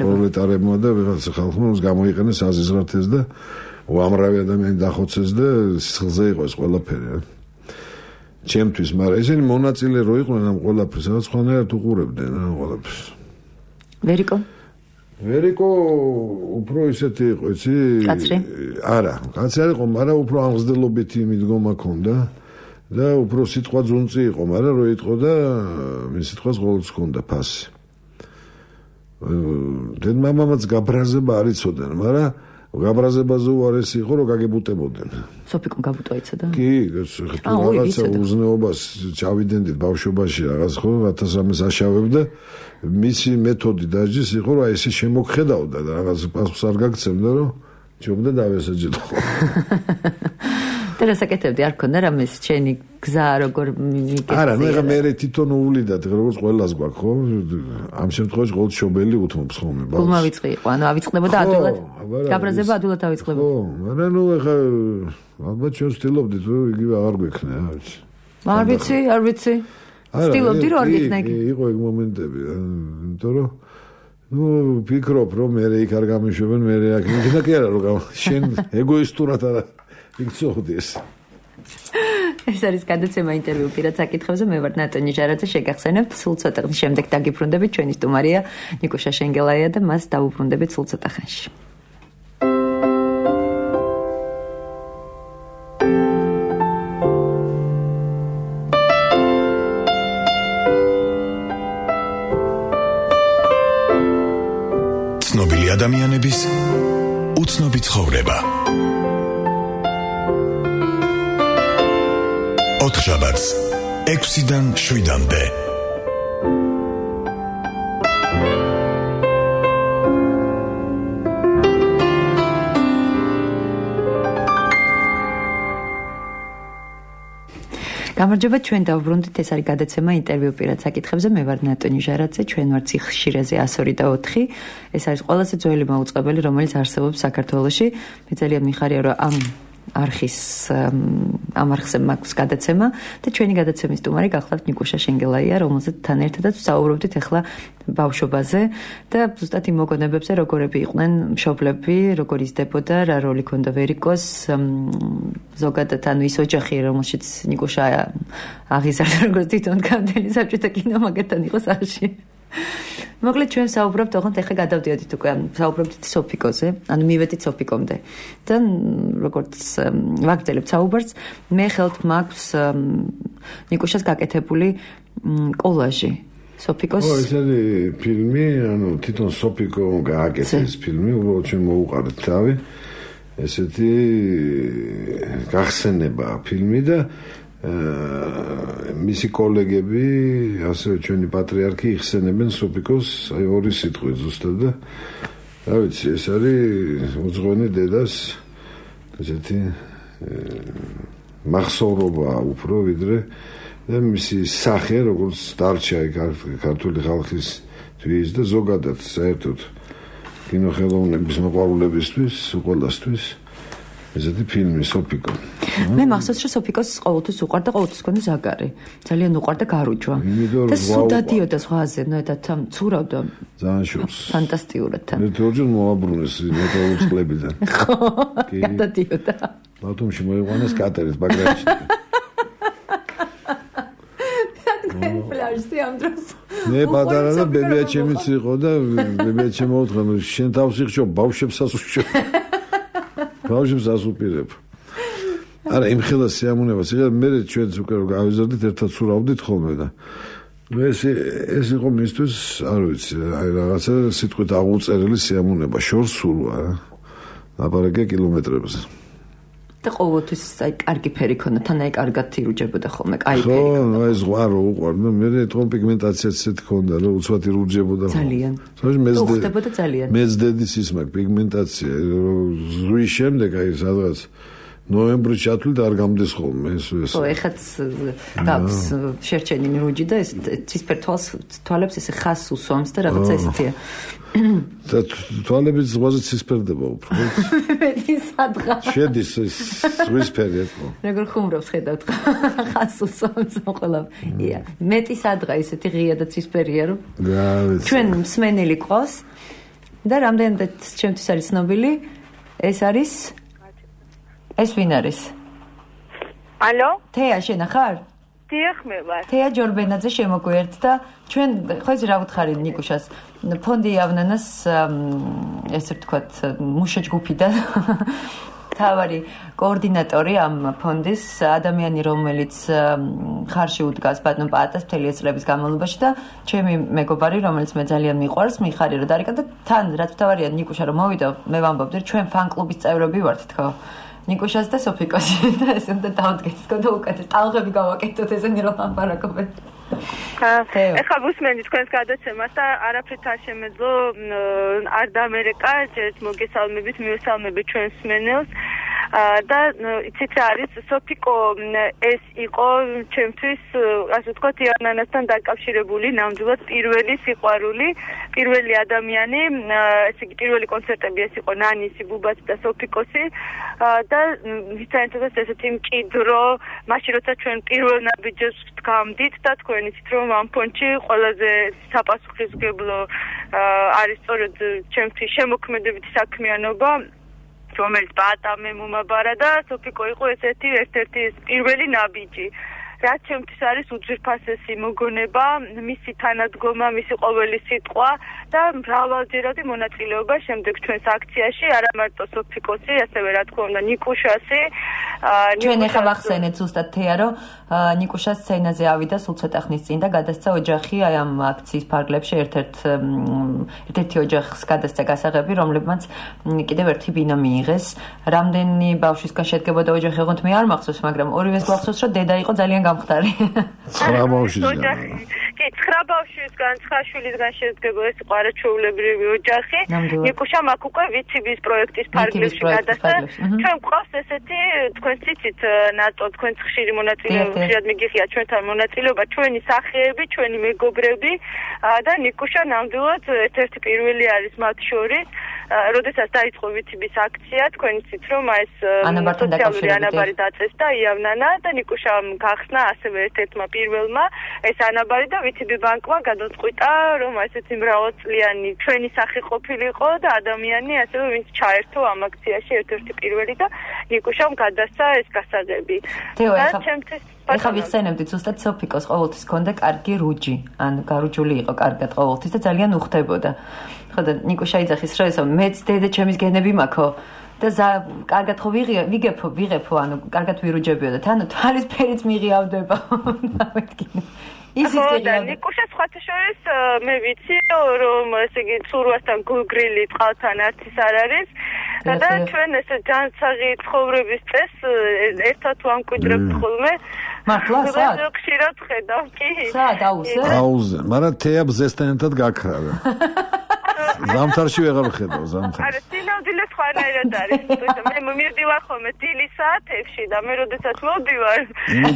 პროლეტარებმა და ვიღაც ხალხმა uns გამოიყენეს აზიზღარდეს და უამრავი ადამიანი დახოცეს და სიხლზე იყო ეს ყველაფერი. ჩემთვის, მაგრამ ესენი მონაწილე რო იყვნენ ამ ყველაფერს, რაღაც ხანერად უყურებდნენ ამ ყველაფერს. ვერიკო? ვერიკო უფრო ისეთი იყო, იცი? კაცრი? არა, კაცრი არ იყო, მაგრამ უფრო ამღზდელობითი მიდგომა ჰქონდა და უფრო სიტყვა ძუნწი იყო, მაგრამ რო იტყო და მის სიტყვას ყოველთვის ჰქონდა ფასი. დედმამამაც გაბრაზება არ იცოდნენ, მაგრამ გაბრაზებაზე უარესი იყო, რომ გაგებუტებოდნენ. სოფიკომ გაბუტვა იცოდა? კი, თუ რაღაცა უზნეობას ჩავიდენდით ბავშვობაში რაღაც ხო, ათას რამეს აშავებდა, მისი მეთოდი დაჯის იყო, რომ ესე შემოგხედავდა და რაღაც პასუხს არ გაგცემდა, რომ ჯობდა დავესაჯდო. და რასაკეთებდი, არ ქონდა რამეს ჩენი გზა როგორ მიგეცია? არა, ნუ ეხა მე თვითონ უვლიდათ, როგორც ყველას გვაქვს, ხო? ამ შემთხვევაში ყოველ შობელი უთმობს ხოლმე ბავშვს. გულმა ვიწყი იყო, ანუ ავიწყდებოდა ადვილად. გაბრაზება ადვილად ავიწყდებოდა. ხო, მაგრამ ნუ ეხა ალბათ ჩვენ ვცდილობდით, რომ იგივე აღარ გვექნა, რა ვიცი. არ ვიცი, არ ვიცი. ვცდილობდი, რომ არ გექნა იგი. იყო ეგ მომენტები, იმიტომ რომ ნუ ვფიქრობ, რომ მე იქ არ გამიშვებენ, მე აქ იქნა კი არა, რომ შენ ეგოისტურად არა იქცოხდეს. ეს არის გადაცემა ინტერვიუ პირად საკითხებზე. მე ვარ ნატონი ჟარაძე, შეგახსენებთ სულ ცოტა ხნის შემდეგ დაგიბრუნდებით. ჩვენი სტუმარია ნიკუშა შენგელაია და მას დავუბრუნდებით სულ ცოტა ხანში. ცნობილი ადამიანების უცნობი ცხოვრება. ოთხშაბათს ექვსიდან შვიდამდე. გამარჯობა, ჩვენ დავუბრუნდით, ეს არის გადაცემა ინტერვიუ პირად საკითხებზე. მე ვარ ნატონი ჟარაძე, ჩვენ ვართ ციხშირეზე one oh three ოთხი. ეს არის ყველაზე ძველი მაუწყებელი, რომელიც არსებობს საქართველოში. მე ძალიან მიხარია, რომ ამ არხის ამ არხზე მაქვს გადაცემა და ჩვენი გადაცემის სტუმარი გახლავთ ნიკუშა შენგელაია, რომელზეც თან ერთადაც ვსაუბრობდით ახლა ბავშვობაზე და ზუსტად იმ მოგონებებზე, როგორები იყვნენ მშობლები, როგორ იზრდებოდა, რა როლი ქონდა ვერიკოს, ზოგადად ანუ ის ოჯახი, რომელშიც ნიკუშა აღიზარდა, როგორც თვითონ გამდელი საბჭოთა კინო მაგათთან იყო სახლში. მოკლედ ჩვენ საუბრობთ, ოღონდ ახლა გადავდიოდით უკვე, საუბრობთ სოფიკოზე, ანუ მივედით სოფიკომდე. და როგორც ვაგრძელებთ საუბარს, მე ხელთ მაქვს ნიკუშას გაკეთებული კოლაჟი. სოფიკოს ო, ეს არის ფილმი, ანუ თვითონ სოფიკო გააკეთეს ფილმი, უბრალოდ ჩვენ მოუყარეთ თავი. ესეთი გახსენება ფილმი და მისი კოლეგები, ასევე ჩვენი პატრიარქი იხსენებენ სოფიკოს აი ორი სიტყვით ზუსტად და რა ვიცი, ეს არის უძღვენი დედას ესეთი მახსოვრობა უფრო ვიდრე და მისი სახე, როგორც დარჩა ქართული ხალხისთვის და ზოგადად საერთოდ კინოხელოვნების მოყვარულებისთვის, ყველასთვის ესეთი ფილმი სოფიკო. მე მახსოვს, რომ სოფიკოს ყოველთვის უყვარდა, ყოველთვის ჰქონდა ზაგარი. ძალიან უყვარდა გარუჯვა. და სულ დადიოდა ზღვაზე, ნეტად ცურავდა. ძალიან შორს. ფანტასტიკურად თან. ერთ ორჯერ მოაბრუნეს მეტაურის წლებიდან. ხო, გადადიოდა. ბათუმში მოიყვანეს კატერით ბაგრატში. პლაჟზე ამ დროს. მე პატარა და ბებიაჩემიც იყო და ბებიაჩემ მოუთხა, შენ თავს იხშო, ბავშვებსაც უშო. ბავშვებს ასუპირებ. არა, იმ ხელა სიამონებას იღე, მე ჩვენც უკვე რომ გავიზარდით, ერთად სურავდით ხოლმე და მე ეს ეს იყო მისთვის, არ ვიცი, აი რაღაცა სიტყვით აღუწერელი სიამონება, შორს სურვა, ლაპარაკია კილომეტრებზე. და ყოველთვის აი კარგი ფერი ქონდა, თან აი კარგად ირუჯებოდა ხოლმე, კაი ფერი. ხო, აი ზღვა რო უყვარდა, მე თვითონ პიგმენტაციაც ისეთი ქონდა, რომ უცბად ირუჯებოდა. ძალიან. თუმცა ხდებოდა ძალიან. მეც დედის ის მაგ პიგმენტაცია, ზღვის შემდეგ აი სადღაც ნოემბრის ჩათვლით არ გამდეს ხოლმე ეს ეს. ხო, ეხაც გავს შერჩენი რუჯი და ეს ცისფერ თვალს თვალებს ესე ხას უსვამს და რაღაცა ესეთია. და თვალები ზღვაზე ცისფერდება უფრო. მეტი სადღა. შედის ეს ზღვისფერი ხო. როგორ ხუმრობს ხედავთ ხას უსვამს ყველა. ია, მეტი სადღა ესეთი ღია და ცისფერია რომ. რა ვიცი. ჩვენ მსმენელი ყავს და რამდენადაც ჩემთვის არის ცნობილი, ეს არის ეს ვინ არის? ალო? თეა შენ ხარ? დიახ, მე ვარ. თეა ჯორბენაძე შემოგვიერთ და ჩვენ ხო იცი რა ვუთხარი ნიკუშას ფონდი იავნანას ესე ვთქვათ მუშა ჯგუფიდან თავარი კოორდინატორი ამ ფონდის, ადამიანი, რომელიც ხარში უდგას ბატონ პაატას მთელი წლების განმავლობაში და ჩემი მეგობარი, რომელიც მე ძალიან მიყვარს, მიხარი რომ დარეკა და თან რაც თავარია ნიკუშა რომ მოვიდა, მე ვამბობდი, ჩვენ ფან კლუბის წევრები ვართ, თქო. ნიკუშას და სოფიკოსი და ესე უნდა დავდგეთ, თქო და უკეთეს ტალღები გავაკეთოთ ესენი რომ ამბარაკობენ. ეხლა ვუსმენთ თქვენს გადაცემას და არაფრით არ შემეძლო არ დამერეკა, ჯერ მოგესალმებით, მივესალმებით ჩვენს მსმენელს. და იცით რა არის სოფიკო ეს იყო ჩემთვის ასე ვთქვათ იანანასთან დაკავშირებული ნამდვილად პირველი სიყვარული, პირველი ადამიანი, ესე იგი პირველი კონცერტები ეს იყო ნანისი, ბუბაცი და სოფიკოსი და ვისაერთოდ ესეთი მჭიდრო, მაშინ როცა ჩვენ პირველ ნაბიჯებს ვდგამდით და თქვენ იცით რომ ამ ფონდში ყველაზე საპასუხისმგებლო არის სწორედ ჩემთვის შემოქმედებითი საქმიანობა რომელიც პაატამე მომაბარა და სოფიკო იყო ესეთი ერთ-ერთი პირველი ნაბიჯი. რაც ჩემთვის არის უძვირფასესი მოგონება, მისი თანადგომა, მისი ყოველი სიტყვა და მრავალჯერადი მონაწილეობა შემდეგ ჩვენს აქციაში, არა მარტო სოფიკოსი, ასევე რა თქმა უნდა ნიკუშასი. ჩვენ ახლა ვახსენეთ ზუსტად თეა, რომ ნიკუშას სცენაზე ავიდა სულ ცოტა ხნის წინ და გადასცა ოჯახი აი ამ აქციის ფარგლებში ერთ-ერთ ერთ-ერთი ოჯახს გადასცა გასაღები, რომლებმაც კიდევ ერთი ბინა მიიღეს. რამდენი ბავშვისგან შედგებოდა ოჯახი, ოღონდ მე არ მახსოვს, მაგრამ ორივეს გვახსოვს, რომ დედა იყო ძალიან გამხდარი. ცხრა ბავშვისგან. კი, ცხრა ბავშვისგან, ცხრა შვილისგან შედგება ეს იყო არაჩვეულებრივი ოჯახი. ნიკუშამ აქ უკვე ვიციბის პროექტის ფარგლებში გადასცა. ჩვენ გვყავს ესეთი თქვენ ციცით ნატო, თქვენ ხშირი მონაწილეობა, ხშირად მიგიხია ჩვენთან მონაწილეობა, ჩვენი სახეები, ჩვენი მეგობრები და ნიკუშა ნამდვილად ერთ-ერთი პირველი არის მათ შორის. როდესაც დაიწყო ვიციბის აქცია, თქვენ იცით რომ ეს სოციალური ანაბარი დაწესდა იავნანა და ნიკუშამ გახსნა ასევე ერთ-ერთმა პირველმა ეს ანაბარი და ვიციბი ბანკმა გადაწყვიტა რომ ესეთი მრავალწლიანი ჩვენი სახე ყოფილიყო და ადამიანი ასევე ვინც ჩაერთო ამ აქციაში ერთ-ერთი პირველი და ნიკუშამ გადასცა ეს გასაღები. და ჩემთვის ეხლა ვიხსენებდით ზუსტად სოფიკოს ყოველთვის ჰქონდა კარგი რუჯი, ან გარუჯული იყო კარგად ყოველთვის და ძალიან უხდებოდა. ხო და ნიკუშა იძახის რომ ესო მეც დედა ჩემის გენები მაქვს და კარგად ხო ვიგებო, ვიღებო, ანუ კარგად ვირუჯებიო და თანო თვალის ფერიც მიღიავდება. დამეთქინე. ისიც და ნიკუშა სხვათა შორის მე ვიცი რომ ესე იგი ცურვასთან გულგრილი წყალთან არც არ არის და ჩვენ ესე ჯანსაღი ცხოვრების წესს ერთად ვამკვიდრებთ ხოლმე. მართლა სად? ხშირად ხედავ კი. სად აუზე? აუზე, მაგრამ თეა ბზესთან ერთად გაქრავა. ზამთარში ვეღარ ხედავ ზამთარში. არა, სინამდვილე სხვანაირად არის. მე მივდივარ ხოლმე დილის საათებში და მე როდესაც მოვდივარ,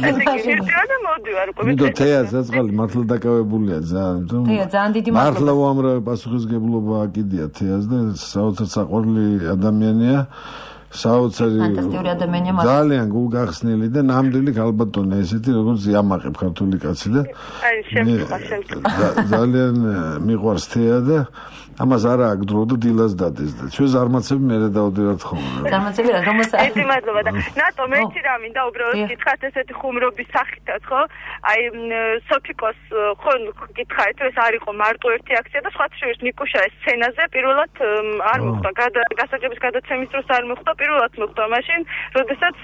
ესე იგი მივდივარ და მოვდივარ უკვე. მიდო თეა ზაწყალი მართლა დაკავებულია ძალიან. თეა ძალიან დიდი მადლობა. მართლა უამრავი პასუხისგებლობა აკიდია თეას და საოცარ საყვარელი ადამიანია. საოცარი ძალიან გულგახსნილი და ნამდვილი ქალბატონი ესეთი როგორც იამაყებ ქართული კაცი და ძალიან მიყვარს თეა და ამას არა აქ დრო და დილას დადეს და ჩვენ ზარმაცები მერე დავდივართ ხოლმე. ზარმაცები რა რომელსაც ერთი მადლობა და ნატო მე იცი რა მინდა უბრალოდ გითხრათ ესეთი ხუმრობის სახითაც ხო? აი სოფიკოს ხო გითხარით ეს არ იყო მარტო ერთი აქცია და სხვათა შორის ნიკუშა ეს სცენაზე პირველად არ მოხდა გასაჯების გადაცემის დროს არ მოხდა პირველად მოხდა მაშინ როდესაც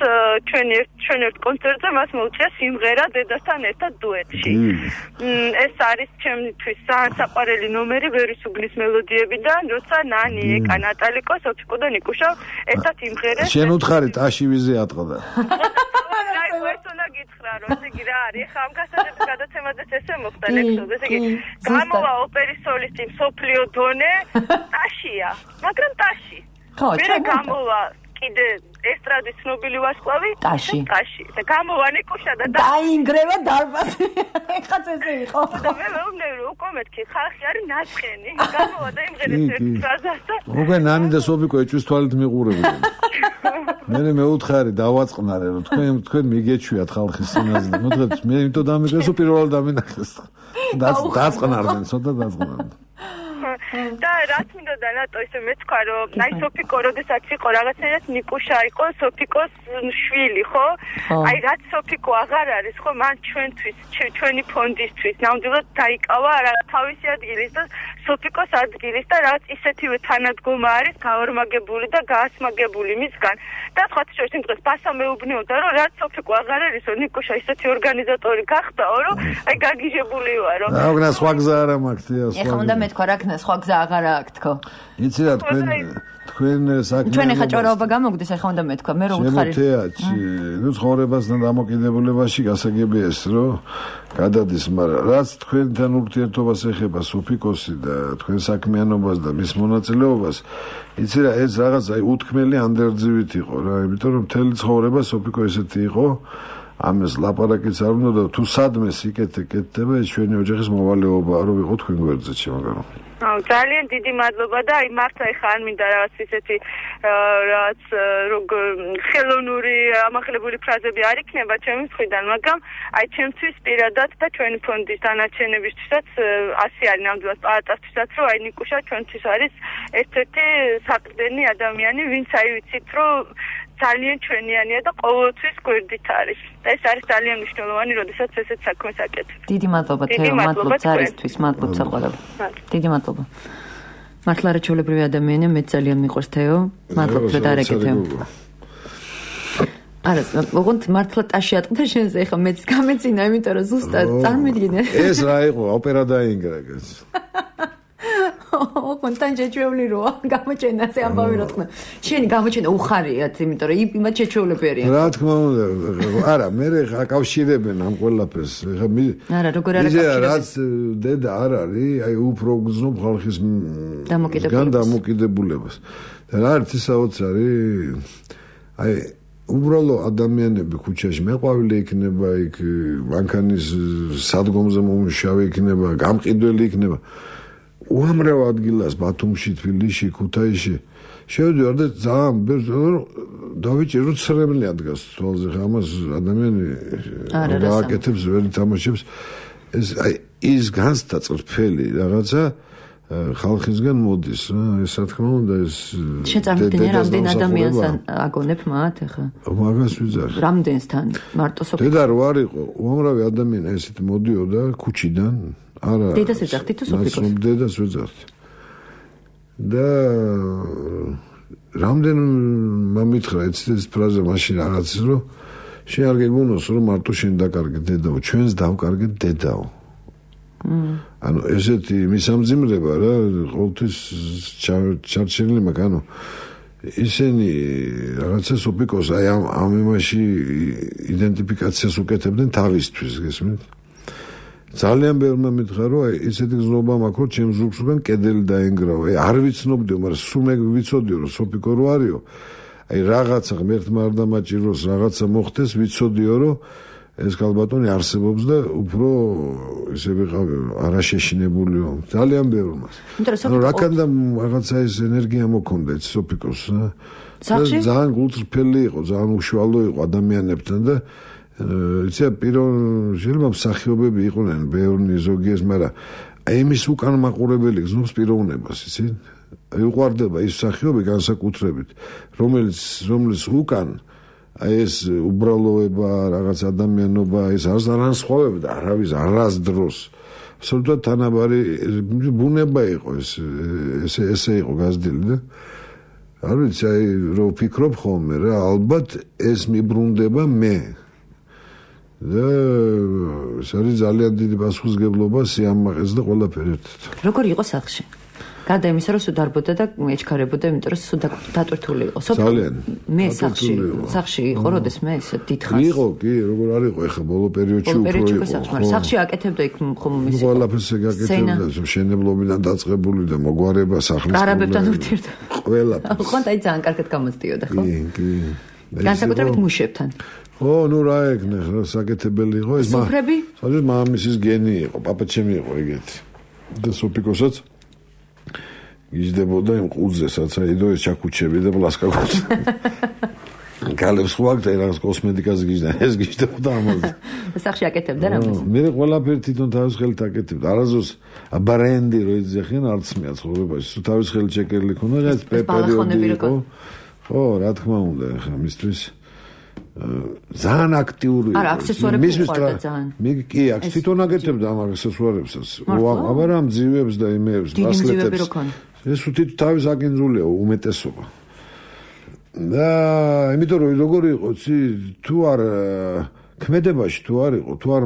ჩვენ ერთ ჩვენ ერთ კონცერტზე მას მოუწია სიმღერა დედასთან ერთად დუეტში. ეს არის ჩემთვის საყვარელი ნომერი ვერის უბნის მელოდიებიდან როცა ნანი ეკა ნატალიკო სოფიკო და ნიკუშა ერთად იმღერეს. შენ უთხარი ტაში ვიზე ატყდა. აი ეს უნდა გითხრა რომ ესე იგი რა არის ხა ამ გასაჯების გადაცემაზეც ესე მოხდა ლექსოზე ესე იგი გამოვა ოპერის სოლისტი მსოფლიო დონე ტაშია მაგრამ ტაში ხო ჩვენ გამოვა კიდე ესტრადის ცნობილი ვარსკვლავი ტაში ტაში და გამოვა ნიკუშა და დაინგრევა დარბაზი ეხაც ესე იყო და მე მეუბნები რომ უკვე მეთქი ხალხი არის ნაცხენი გამოვა და იმღერეს ერთ ფრაზას და უკვე ნანი და სოფიკო ეჭვის თვალით მიყურებდნენ მე მეუთხარი დავაწყნარე რომ თქვენ თქვენ მიგეჩვიათ ხალხის სინაზე მოდგეთ მე იმიტომ დამიგეს უპირველად დამინახეს დაწყნარდნენ ცოტა დაწყნარდნენ და რაც მინდოდა რატო ისე მეცქვა რომ აი სოფიკო როდესაც იყო რაღაცნაირად ნიკუშა იყო სოფიკოს შვილი ხო? აი რაც სოფიკო აღარ არის ხო მან ჩვენთვის ჩვენი ფონდისთვის ნამდვილად დაიკავა რა თავისი ადგილის და სოფიკოს ადგილის და რაც ისეთივე თანადგომა არის გაორმაგებული და გაასმაგებული მისგან და სხვა შორის იმ დღეს ბასა მეუბნეოდა რომ რაც სოფიკო აღარ არისო ნიკუშა ისეთი ორგანიზატორი გახდაო რომ აი გაგიჟებული ვარო რა გნა სხვა გზა არ მაქვს თია ეხლა უნდა მეთქვა რა ქნა სხვა გზა აღარ აქვს თქო იცი რა თქვენ თქვენ საქმე ჩვენ ეხა ჭორაობა გამოგდეს ეხლა უნდა მეთქვა მე რო უთხარი შემოთეაჩი ნუ ცხოვრებასთან დამოკიდებულებაში გასაგებია ეს რომ გადადის მაგრამ რაც თქვენთან ურთიერთობას ეხება სოფიკოსი და თქვენ საქმიანობას და მის მონაწილეობას იცი რა ეს რაღაც აი უთქმელი ანდერძივით იყო რა იმიტომ რომ მთელი ცხოვრება სოფიკო ესეთი იყო ამას ლაპარაკიც არ უნდა და თუ სადმე სიკეთე კეთდება ეს ჩვენი ოჯახის მოვალეობაა რომ ვიყო თქვენ გვერდზე შემოგარო აუ ძალიან დიდი მადლობა და აი მართლა ეხა არ მინდა რაღაც ისეთი რაც როგორ ხელოვნური ამაღლებული ფრაზები არ იქნება ჩემი მხრიდან მაგრამ აი ჩემთვის პირადად და ჩვენი ფონდის დანარჩენებისთვისაც ასე არის ნამდვილად პაატასთვისაც რომ აი ნიკუშა ჩვენთვის არის ერთ-ერთი საყრდენი ადამიანი ვინც აი ვიცით რომ ძალიან ჩვენიანია და ყოველთვის გვერდით არის. და ეს არის ძალიან მნიშვნელოვანი, როდესაც ესეთ საქმეს აკეთებ. დიდი მადლობა თეო, მადლობა ძარისთვის, მადლობა საყვარელ. დიდი მადლობა. მართლა რა ჩვეულებრივი ადამიანია, მე ძალიან მიყვარს თეო. მადლობა რომ დაარეკეთე. არა, ოღონდ მართლა ტაში ატყდა შენზე, ეხა მეც გამეცინა, იმიტომ რომ ზუსტად წარმოვიდგინე. ეს რა იყო, ოპერა დაინგრა გაც. ო, კონტან შეჩეული როა, გამოჩენა ზე ამბავი რა თქმა. შენი გამოჩენა უხარიათ, იმიტომ რომ იმათ შეჩეულები არიან. რა თქმა უნდა, არა, მე აკავშირებენ ამ ყველაფერს. ეხა მე არა, როგორ არ აკავშირებენ? რაც დედა არ არის, აი უფრო გზნობ ხალხის დამოკიდებულებას. და რა არის საოცარი? აი უბრალო ადამიანები ქუჩაში მეყვავილი იქნება, იქ მანქანის სადგომზე მომუშავე იქნება, გამყიდველი იქნება. უამრავ ადგილას ბათუმში, თბილისში, ქუთაისში შევდივარ და ძალიან დავიჭირო ცრემლი ადგას თვალზე ხა ამას ადამიანი გააკეთებს ვერ თამაშებს ეს აი ის განსთა წრფელი რაღაცა ხალხისგან მოდის რა ეს რა თქმა უნდა ეს შეწამდგენია რამდენ ადამიანს აგონებ მათ ხა მაგას ვიზარ რამდენსთან მარტო სოფიკო დედა რო არ იყო უამრავი ადამიანი ესეთ მოდიოდა ქუჩიდან არა დედას ეძახთი თუ სოფიკოს დედას ვეძახთი და რამდენ მომითხრა ეს ფრაზა მაშინ რაღაცის რომ შენ არ გეგონოს რომ მარტო შენ დაკარგე დედაო ჩვენს დავკარგე დედაო ანუ ესეთი მისამძიმრება რა ყოველთვის ჩარჩენილი მაგ ანუ ისინი რაღაცა სოფიკოს აი ამ ამ იმაში იდენტიფიკაციას უკეთებდნენ თავისთვის გესმით ძალიან ბევრმა მითხრა რომ აი ესეთი გზნობა მაქვს რომ ჩემს ზურგს უკან კედელი დაენგრავა აი არ ვიცნობდიო მაგრამ სულ მე ვიცოდიო რომ სოფიკო რო არისო აი რაღაცა ღმერთმა არ დამაჭიროს რაღაცა მოხდეს ვიცოდიო რომ ეს ქალბატონი არსებობს და უფრო ესე ვიყავი არაშეშინებულიო ძალიან ბევრმა ანუ რაკანდა რაღაცა ეს ენერგია მოქონდა ეს სოფიკოს რა ძალიან გულწრფელი იყო ძალიან უშუალო იყო ადამიანებთან და იცი პირონ შეიძლება მსახიობები იყვნენ ბევრი ზოგიეს მაგრამ აი იმის უკან მაყურებელი გზნობს პიროვნებას იცი აი უყვარდება ის მსახიობი განსაკუთრებით რომელიც რომლის უკან აი ეს უბრალოება რაღაც ადამიანობა ეს არც არან სხვავებდა არავის არასდროს absolutely თანაბარი ბუნება იყო ეს ესე ესე იყო გაზრდილი და არ ვიცი აი რო ვფიქრობ ხოლმე რა ალბათ ეს მიბრუნდება მე და ეს არის ძალიან დიდი პასუხისმგებლობა სიამაყეს და ყველაფერი ერთად როგორ იყო სახლში გადა იმისა რომ სულ დარბოდა და ეჩქარებოდა იმიტომ რომ სულ დატვირთული იყო ძალიან მე სახლში სახლში იყო როდეს მე ესე დიდხანს იყო კი როგორ არ იყო ეხა ბოლო პერიოდში უფრო იყო მაგრამ სახლში აკეთებდა იქ ხომ მის ყველაფერს აკეთებდა მშენებლობიდან დაწყებული და მოგვარება სახლის არაბებთან ურთიერთობა ყველაფერს ხო და ძალიან კარგად გამოსდიოდა ხო კი კი განსაკუთრებით მუშებთან ო ნუ რა ეკნე საკეთებელი იყო ეს სუფრები სადაც მამამისის გენი იყო პაპაჩემი იყო ეგეთი და სოფიკოსაც იზდებოდა იმ ყურძესაც აი დო ეს ჩაკუჩები და პლასკაკუჩი გალებს ხوارდა რაღაც კოსმეტიკას გიჟდა, ეს გიჟდებოდა ამაზე. სახში აკეთებდა რამეს? მე ყველაფერი თვითონ თავის ხელით აკეთებდა. არაზოს ბრენდი რო იძახიან არც მეა ცხოვრებაში. თავის ხელით შეკერილი ქონა, რაღაც პერიოდი იყო. ხო, რა თქმა უნდა, ხა მისთვის ძალიან აქტიური. არა, აქსესუარები ხوارდა ძალიან. მე კი, აქ თვითონ აკეთებდა ამ აქსესუარებსაც. აბარა მძივებს და იმეებს, ბასლეტებს. ეს თვითონ თავის აკინძულია უმეტესობა. და იმიტომ რომ როგორ იყო ცი თუ არ ქმედებაში თუ არ იყო თუ არ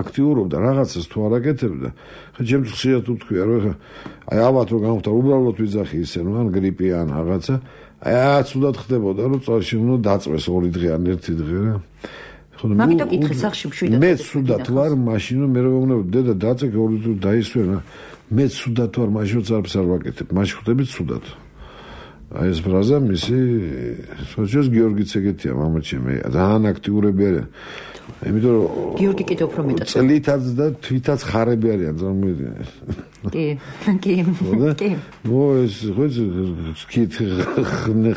აქტიურობდა რაღაცას თუ არ აკეთებდა ხა ჩემს ხშირად უთქვია რომ აი ალბათ რომ გამოვთარ უბრალოდ ვიძახი ისე რომ ან გრიპი ან რაღაცა აი ცუდად ხდებოდა რომ წარში უნდა დაწვეს ორი დღე ან ერთი დღე რა მაგიტო კითხე სახში მშვიდად მე ცუდად ვარ მაშინ რომ მე რომ ვეუბნები დედა დაწეკე ორი დღე დაისვენა მე ცუდად ვარ მაშინ წარფს არ ვაკეთებ მაშინ ხვდები ცუდად აი ეს ფრაზა მისი სოციოს გიორგიც ეგეთია მამაჩემი ძალიან აქტიურები არიან იმიტომ რომ გიორგი კიდევ უფრო მეტად წლითაც და თვითაც ხარები არიან წარმოვიდგინე კი კი კი ნუ ეს ხო კით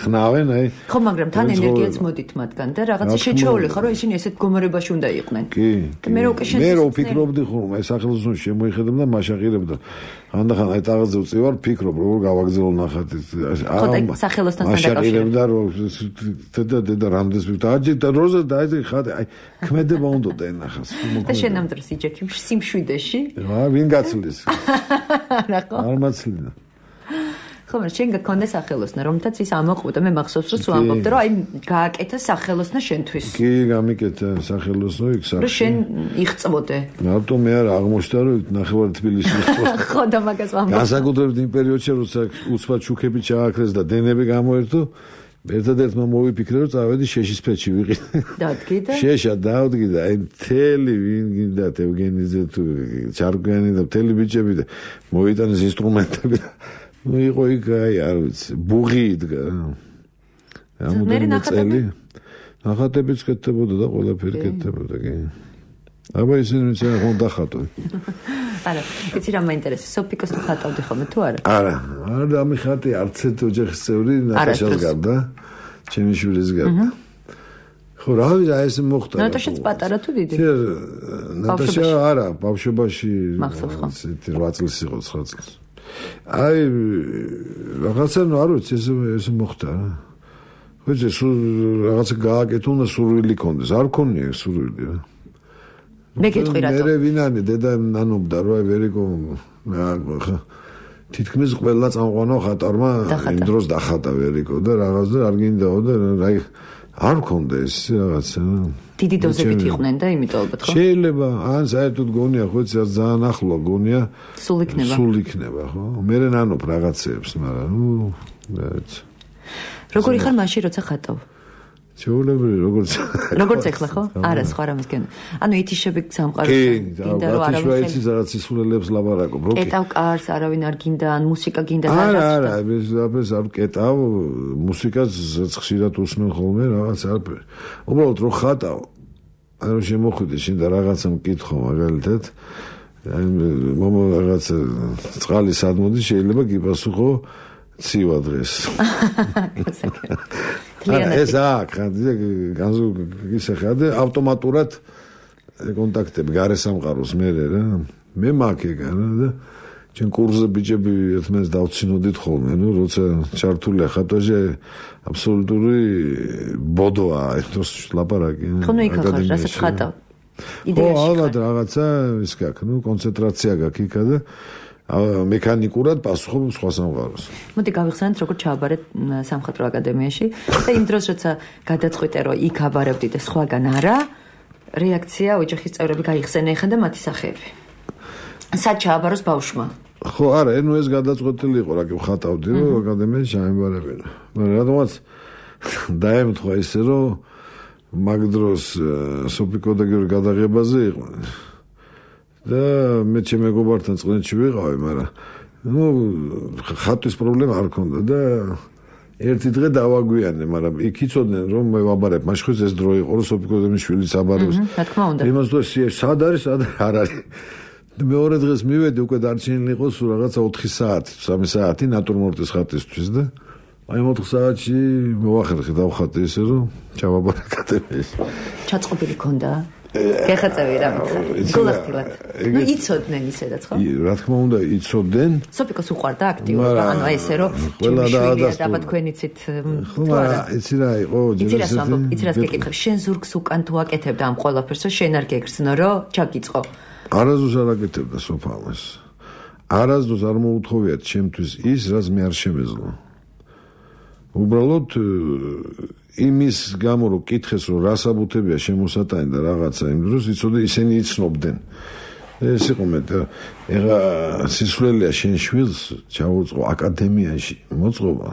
ხნავენ აი ხო მაგრამ თან ენერგიაც მოდით მათგან და რაღაცა შეჩეული ხარ რომ ისინი ესეთ გომერებაში უნდა იყვნენ კი მე რო უკვე მე რო ფიქრობდი ხომ აი სახელოსნოში შემოიხედებ და მაშაყირებ და ხანდახან აი ტაღაზე ვწივარ ფიქრობ როგორ გავაგზავნო ნახატი აი სახელოსთან მაშაყირებ და რო და და რამდენს ვიტაჯი და როზა და აი ხატი აი ქმედება უნდა და ენახას და შენ ამ დროს იჯექი სიმშვიდეში რა ვინ გაცლის რა ხო არ მაცლინა ხო მაგრამ შენ გქონდა სახელოსნა რომთაც ის ამოყვდა მე მახსოვს რომ სულ ამბობდა რომ აი გააკეთა სახელოსნა შენთვის კი გამიკეთა სახელოსნო იქ სახში რომ შენ იღწვოდე მარტო მე არ აღმოჩნდა რომ ნახევარი თბილისი იღწვოდა ხო და მაგას ვამბობ განსაკუთრებით იმ პერიოდში როცა უცბად შუქები ჩააქრეს და დენები გამოერთო ერთადერთმა მოვიფიქრე რომ წავედი შეშის ფეჩი ვიყიდე დადგი და შეშა დავდგი და აი მთელი ვინ გინდა ევგენიძე თუ ჩარგვიანი და მთელი ბიჭები და მოიტანეს ინსტრუმენტები ნუ იყო იქ აი არ ვიცი ბუღი იდგა ამოდენმე წელი ნახატებიც კეთდებოდა და ყველაფერი კეთდებოდა კი აბა ისინი ვიციან ხომ დახატო არა იცი რა მაინტერესებს სოფიკოს თუ ხატავდი ხოლმე თუ არა არა არა ამიხატი არც ერთ ოჯახის წევრი ნატაშას გარდა ჩემი შვილის გარდა ხო რა ვიცი ეს მოხდა ნატაშაც პატარა თუ დიდი ნატაშა არა ბავშვობაში ისეთი რვა წლის იყო ცხრა წლის აი რაღაცა ნუ არ ვიცი ეს ეს მოხდა რა ხო ეს რაღაცა გააკეთო და სურვილი კონდეს არ ქონია სურვილი რა მე გეტყვი რატო მე ვინანი დედა ნანობდა რა ვერიკო თითქმის ყველა წამყვანო ხატარმა იმ დროს დახატა ვერიკო და რაღაც და არ გინდაო და აი არ მქონდა ეს რაღაცა დიდი დოზებით იყვნენ და იმიტომ ალბათ ხო შეიძლება ან საერთოდ გონია ხო ძალიან ახლო გონია სულ იქნება სულ იქნება ხო მე ნანობ რაღაცეებს მაგრამ ნუ როგორი ხარ მაშინ როცა ხატავ ჩეულებრივი როგორც როგორც ეხლა ხო? არა, სხვა რამეს გენ. ანუ ეთიშები სამყაროში გინდა რომ არავინ ხელს რაღაც ისულელებს ლაბარაკობ, რო კეტავ კარს, არავინ არ გინდა, ან მუსიკა გინდა და არა, არა, ეს აბეს არ კეტავ, მუსიკას ხშირად უსმენ ხოლმე რაღაც არაფერი. უბრალოდ რო ხატავ, ანუ შემოხვიდე შენ და რაღაცა მკითხო მაგალითად, აი მომო რაღაც წყალი სად მოდის შეიძლება გიპასუხო ცივა დღეს. ეს აქ განზუ გისახადე ავტომატურად კონტაქტები გარე სამყაროს მე რა მე მაქეგა და ჩვენ კურსზე ბიჭები ერთმანეთს დავცინოდით ხოლმე ნუ როცა ჩართულია ხატვაზე აბსოლუტური ბოდოა ეს ლაპარაკი ხო ნუ იქ ახლა რასაც ხატავ იდეაში ხო ალბათ რაღაცა ის გაქვს ნუ კონცენტრაცია გაქვს იქა და მექანიკურად პასუხობ სხვა სამყაროს. მოდი გავიხსენოთ როგორ ჩააბარეთ სამხატვრო აკადემიაში და იმ დროს როცა გადაწყვიტე რომ იქ აბარებდი და სხვაგან არა რეაქცია ოჯახის წევრები გაიხსენენ ხან და მათი სახეები. სად ჩააბაროს ბავშვმა? ხო არა, ნუ ეს გადაწყვეტილი იყო რა კი ხატავდი რომ აკადემიაში ჩაემბარებინა. მაგრამ რადგანაც დაემთხვა ისე რომ მაგ დროს სოფიკო და გიორგი გადაღებაზე იყვნენ. და მე ჩემ მეგობართან წყლენში ვიყავი, მაგრამ ნუ ხატვის პრობლემა არ ქონდა და ერთი დღე დავაგვიანე, მაგრამ იქ იცოდნენ რომ მე ვაბარებ, მაშინ ეს დრო იყო, რომ სოფიკოზე შვილიც აბარებს. რა თქმა უნდა. იმას თუ სად არის, სად არ არის. მეორე დღეს მივედი უკვე დარჩენილი იყო სულ რაღაცა ოთხი საათი, სამი საათი ნატურმორტის ხატისთვის და აი მოთხ საათში მოვახერხე დავხატე ისე რომ ჩავაბარაკადე. ჩაწყობილი ქონდა? გეხაწევი რა. გულახდილად. ნუ იცოდნენ ისედაც ხო? რა თქმა უნდა იცოდნენ. სოფიკოს უყვარდა აქტიურობა, ანუ აი ესე რომ ყველა დაადასტურა თქვენიცით თუ არა. იცი რა იყო ჯერჯერობით. იცი რა გეკითხებ, შენ ზურგს უკან თუ აკეთებდა ამ ყველაფერს, რომ შენ არ გეგრძნო, რომ ჩაგიწყო. არასდროს არ აკეთებდა სოფალას. არასდროს არ მოუთხოვიათ ჩემთვის ის, რაც მე არ შემეძლო. უბრალოდ იმის გამო რომ კითხეს რომ რა საბუთებია შემოსატანი და რაღაცა იმ დროს იცოდე ისინი იცნობდნენ. ეს იყო მე და ეხა სისულელია შენ შვილს ჩაუწყო აკადემიაში მოწყობა.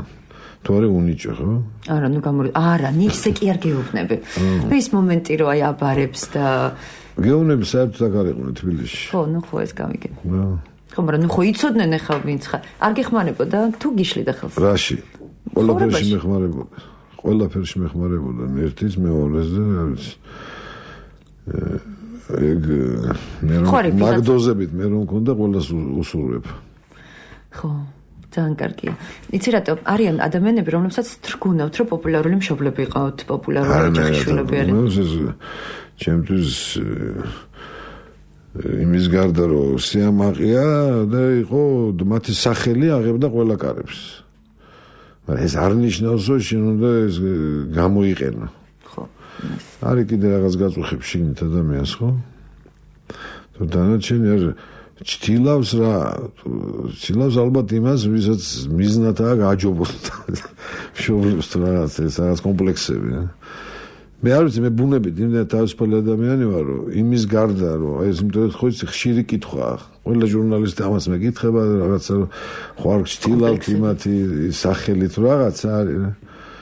თუ არა უნიჭო ხო? არა ნუ გამორ არა ნისე კი არ გეუბნები. ეს მომენტი რომ აი აბარებს და გეუბნები საერთოდ არ იყო თბილისში. ხო ნუ ხო ეს გამიგე. ხო მაგრამ ნუ ხო იცოდნენ ეხა ვინც ხარ. არ გეხმარებოდა თუ გიშლიდა ხელს. რაში? ყველაფერში მეხმარებოდა. ყველაფერში მეხმარებოდა ერთის მეორეს და რა ვიცი. ეგ მე რომ მაგდოზებით მე რომ მქონდა ყველას უსურვებ. ხო, ძალიან კარგია. იცი რატო არიან ადამიანები, რომლებსაც თრგუნავთ, რომ პოპულარული მშობლები იყავთ, პოპულარული ოჯახშვილები არიან. ჩემთვის იმის გარდა რომ სიამაყეა და იყო მათი სახელი აღებდა ყველა კარებს. მაგრამ ეს არ ნიშნავს რომ შენ უნდა ეს გამოიყენო. ხო. არის კიდე რაღაც გაწუხებს შიგნით ადამიანს, ხო? თუ დანარჩენი არ ჩtildeავს რა, ჩtildeავს ალბათ იმას, ვისაც მიზნად აქვს გააჯობოს. მშობლებს თუ რაღაც ეს რაღაც კომპლექსები, რა. მე არ ვიცი, მე ბუნებით იმდენად თავისუფალი ადამიანი ვარ, რომ იმის გარდა რომ ეს იმიტომ ხო იცი ხშირი კითხვაა. ყველა ჟურნალისტი ამას მეკითხება რაღაცა ხوار ჩtildeავთ იმათი სახელი თუ რაღაცა არის რა.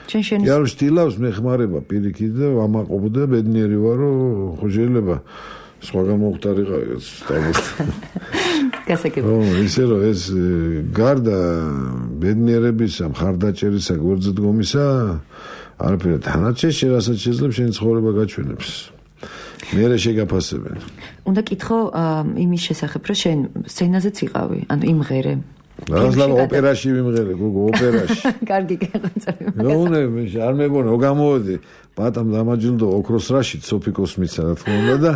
შენ შენ იარ ჩtildeავს მეხმარება პირიქით და ამაყობ და ბედნიერი ვარ რომ ხო შეიძლება სხვაგან მოხდარიყავ სტაბილს. გასაგები. ო ისე რომ ეს გარდა ბედნიერებისა, მხარდაჭერისა, გვერდზდგომისა არაფერი თანაჩეში რასაც შეიძლება შენ ცხოვრება გაჩვენებს. მე რა შეგაფასებენ. უნდა კითხო იმის შესახებ, რომ შენ სცენაზეც იყავი, ანუ იმღერე. რაზლავ ოპერაში ვიმღერე, გოგო ოპერაში. კარგი გეღწევი. ნუ მე არ მეგონა, გამოვედი. ბატამ დამაჯილდო ოქროს რაშიც სოფიკოს მიცა რა თქმა უნდა და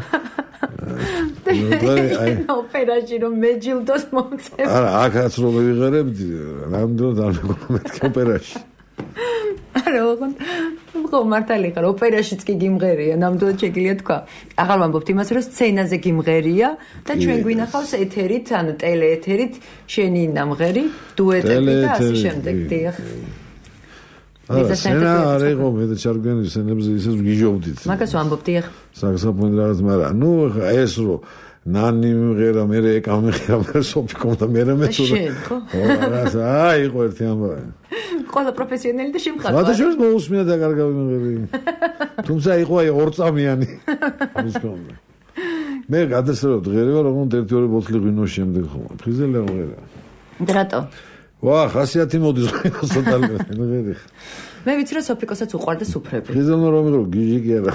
ოპერაში რომ მეჯილდოს მომწევ. არა, აქაც რომ ვიღერებდი, რამდენად არ მეგონა მეთქე ოპერაში. არა, ხო მართალი ხარ, ოპერაშიც კი გიმღერია, ნამდვილად შეგიძლია თქვა. აღარ ვამბობთ იმას, რომ სცენაზე გიმღერია და ჩვენ გვინახავს ეთერით, ანუ ტელეეთერით შენი ნამღერი, დუეტები და ასე შემდეგ. დიახ. არა, სცენა არ იყო, მე და ჩარგვიანი სცენებზე ისე გიჟობდით. მაგას ვამბობ, დიახ. საგზაფონი რაღაც, მაგრამ ნუ ეს რო ნანი მღერა, მე ეკა მღერა, მე სოფიკომ და მე მე თუ შენ ხო? რა, აი იყო ერთი ამბავი. ყველა პროფესიონალი და შემხატვა. მაგრამ შენ მოусმია და კარგავი მღერი. თუმცა იყო აი ორწამიანი. მე გადასწრებდი ღერევა, რომ ერთი ორი ბოთლი ღვინოს შემდეგ ხომ. ფხიზელი არ მღერა. დრატო. ვა, ხასიათი მოდის სოტალმე მღერი. მე ვიცი რომ სოფიკოსაც უყვარდა სუფრები. ფხიზელო რომ მღერო, გიჟი კი არა.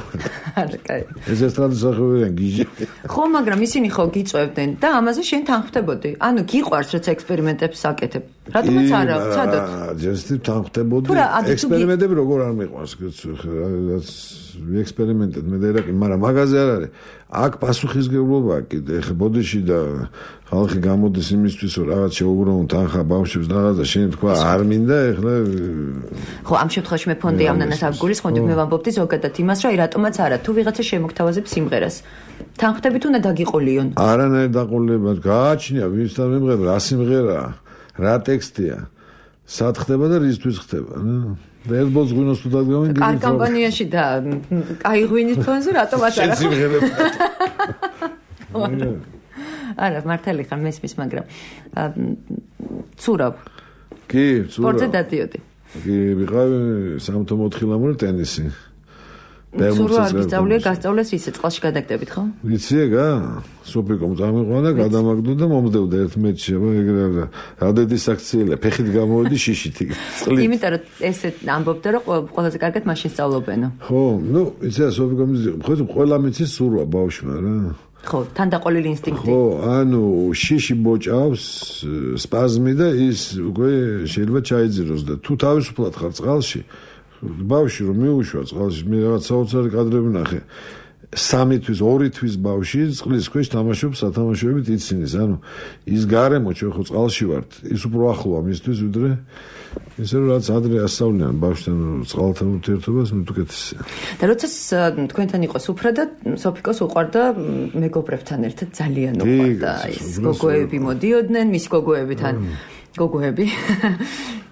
არა, კაი. ეს ესტრადის სახეობაა გიჟი. ხო, მაგრამ ისინი ხო გიწევდნენ და ამაზე შენ თანხმდებოდი. ანუ გიყვარს რაც ექსპერიმენტებს აკეთებ. რატომაც არა, ცადოთ. ჯერსტი თანხმდებოდი. ექსპერიმენტები როგორ არ მიყვარს, რაც ვიექსპერიმენტებ მე და ერაკი, მაგრამ მაგაზე არ არის. აქ პასუხისგებლობა კიდე ხე ბოდიში და ხალხი გამოდის იმისთვის რომ რაღაც შეუგროვონ თანხა ბავშვებს რაღაცა შენ თქვა არ მინდა ეხლა ხო ამ შემთხვევაში მე ფონდი ამნანას არ გულისხმობდი მე ვამბობდი ზოგადად იმას რომ აი რატომაც არა თუ ვიღაცა შემოგთავაზებს სიმღერას თანხმდებით უნდა დაგიყოლიონ არანაირ დაყოლება გააჩნია ვინსთან მიმღერა რა სიმღერაა რა ტექსტია სად ხდება და რისთვის ხდება და ერთ ბოლოს ღვინოს თუ დაგავენ კარ კამპანიაში და კაი ღვინის ფონზე რატომაც არა არა მართალი ხარ მესმის მაგრამ ცურავ კი ცურავ სპორტზე დადიოდი კი ვიყავი სამთო მოთხილამური ტენისი ცურავ არ გისწავლია გასწავლეს ისე წყალში გადაგდებით ხო ვიცი ეგა სუპიკომ წამიყვანა და გადამაგდო და მომდევდა ერთ მეჩში ეგრე რადედი საქციელია ფეხით გამოვედი შიშით წყლით იმიტომ რომ ესე ამბობდა რომ ყველაზე კარგად მაშინ სწავლობენო ხო ნუ იცი სუპიკომ ხო ყველა მეცის სურვა ბავშვმა რა ხო, თან დაყოლილი ინსტინქტი. ხო, ანუ შიში ბოჭავს სპაზმი და ის უკვე შეიძლება ჩაიძიროს და თუ თავისუფლად ხარ წყალში, ბავში რომ მიუშვა წყალში, მე რაღაც საოცარი კადრები ნახე. სამი თვის, ორი თვის ბავში წყლის ქვეშ თამაშობს სათამაშოებით იცინის. ანუ ის გარემო ჩვენ ხო წყალში ვართ, ის უფრო ახლოა მისთვის ვიდრე ისე რომ რაც ადრე ასწავლიან ბავშვთან წყალთან ურთიერთობას, ნუ უკეთესია. და როდესაც თქვენთან იყო სუფრა და სოფიკოს უყვარდა მეგობრებთან ერთად ძალიან უყვარდა ის გოგოები მოდიოდნენ, მის გოგოებთან გოგოები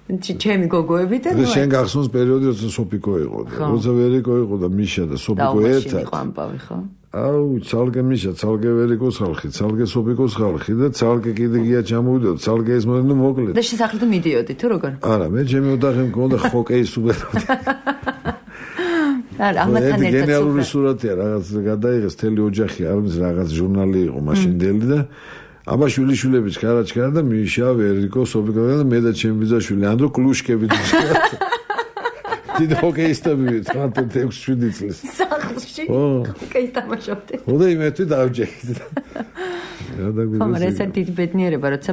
ჩემი გოგოები და ნუ შენ გახსოვს პერიოდი როცა სოფიკო იყო და როცა ვერიკო იყო და მიშა და სოფიკო ერთად იყო ამბავი ხო? აუ ცალკე მიშა, ცალკე ვერიკოს ხალხი, ცალკე სოფიკოს ხალხი და ცალკე კიდე გია ჩამოვიდა, ცალკე ეს მოდი მოკლედ. და შესაძლოა მიდიოდი თუ როგორ? არა, მე ჩემი ოთახი მქონდა ჰოკეის უბერავდი. არა, ამათან ერთად გენერალური სურათია, რაღაც გადაიღეს თელი ოჯახი, არის რაღაც ჟურნალი იყო მაშინდელი და აბა შვილიშვილები ჩქარა-ჩქარა და მიშა, ვერიკო, სოფიკო და მე და ჩემი ბიძაშვილი ანდრო კლუშკები დიწყდა. დიდ ჰოკეისტები თერთმეტ ექვსი შვიდი წლის. სახლში. ჰოკეის თამაშობდი. ხოდა იმეთი დავჯექით. რა დაგვიგეს. მაგრამ ეს დიდი ბედნიერება, როცა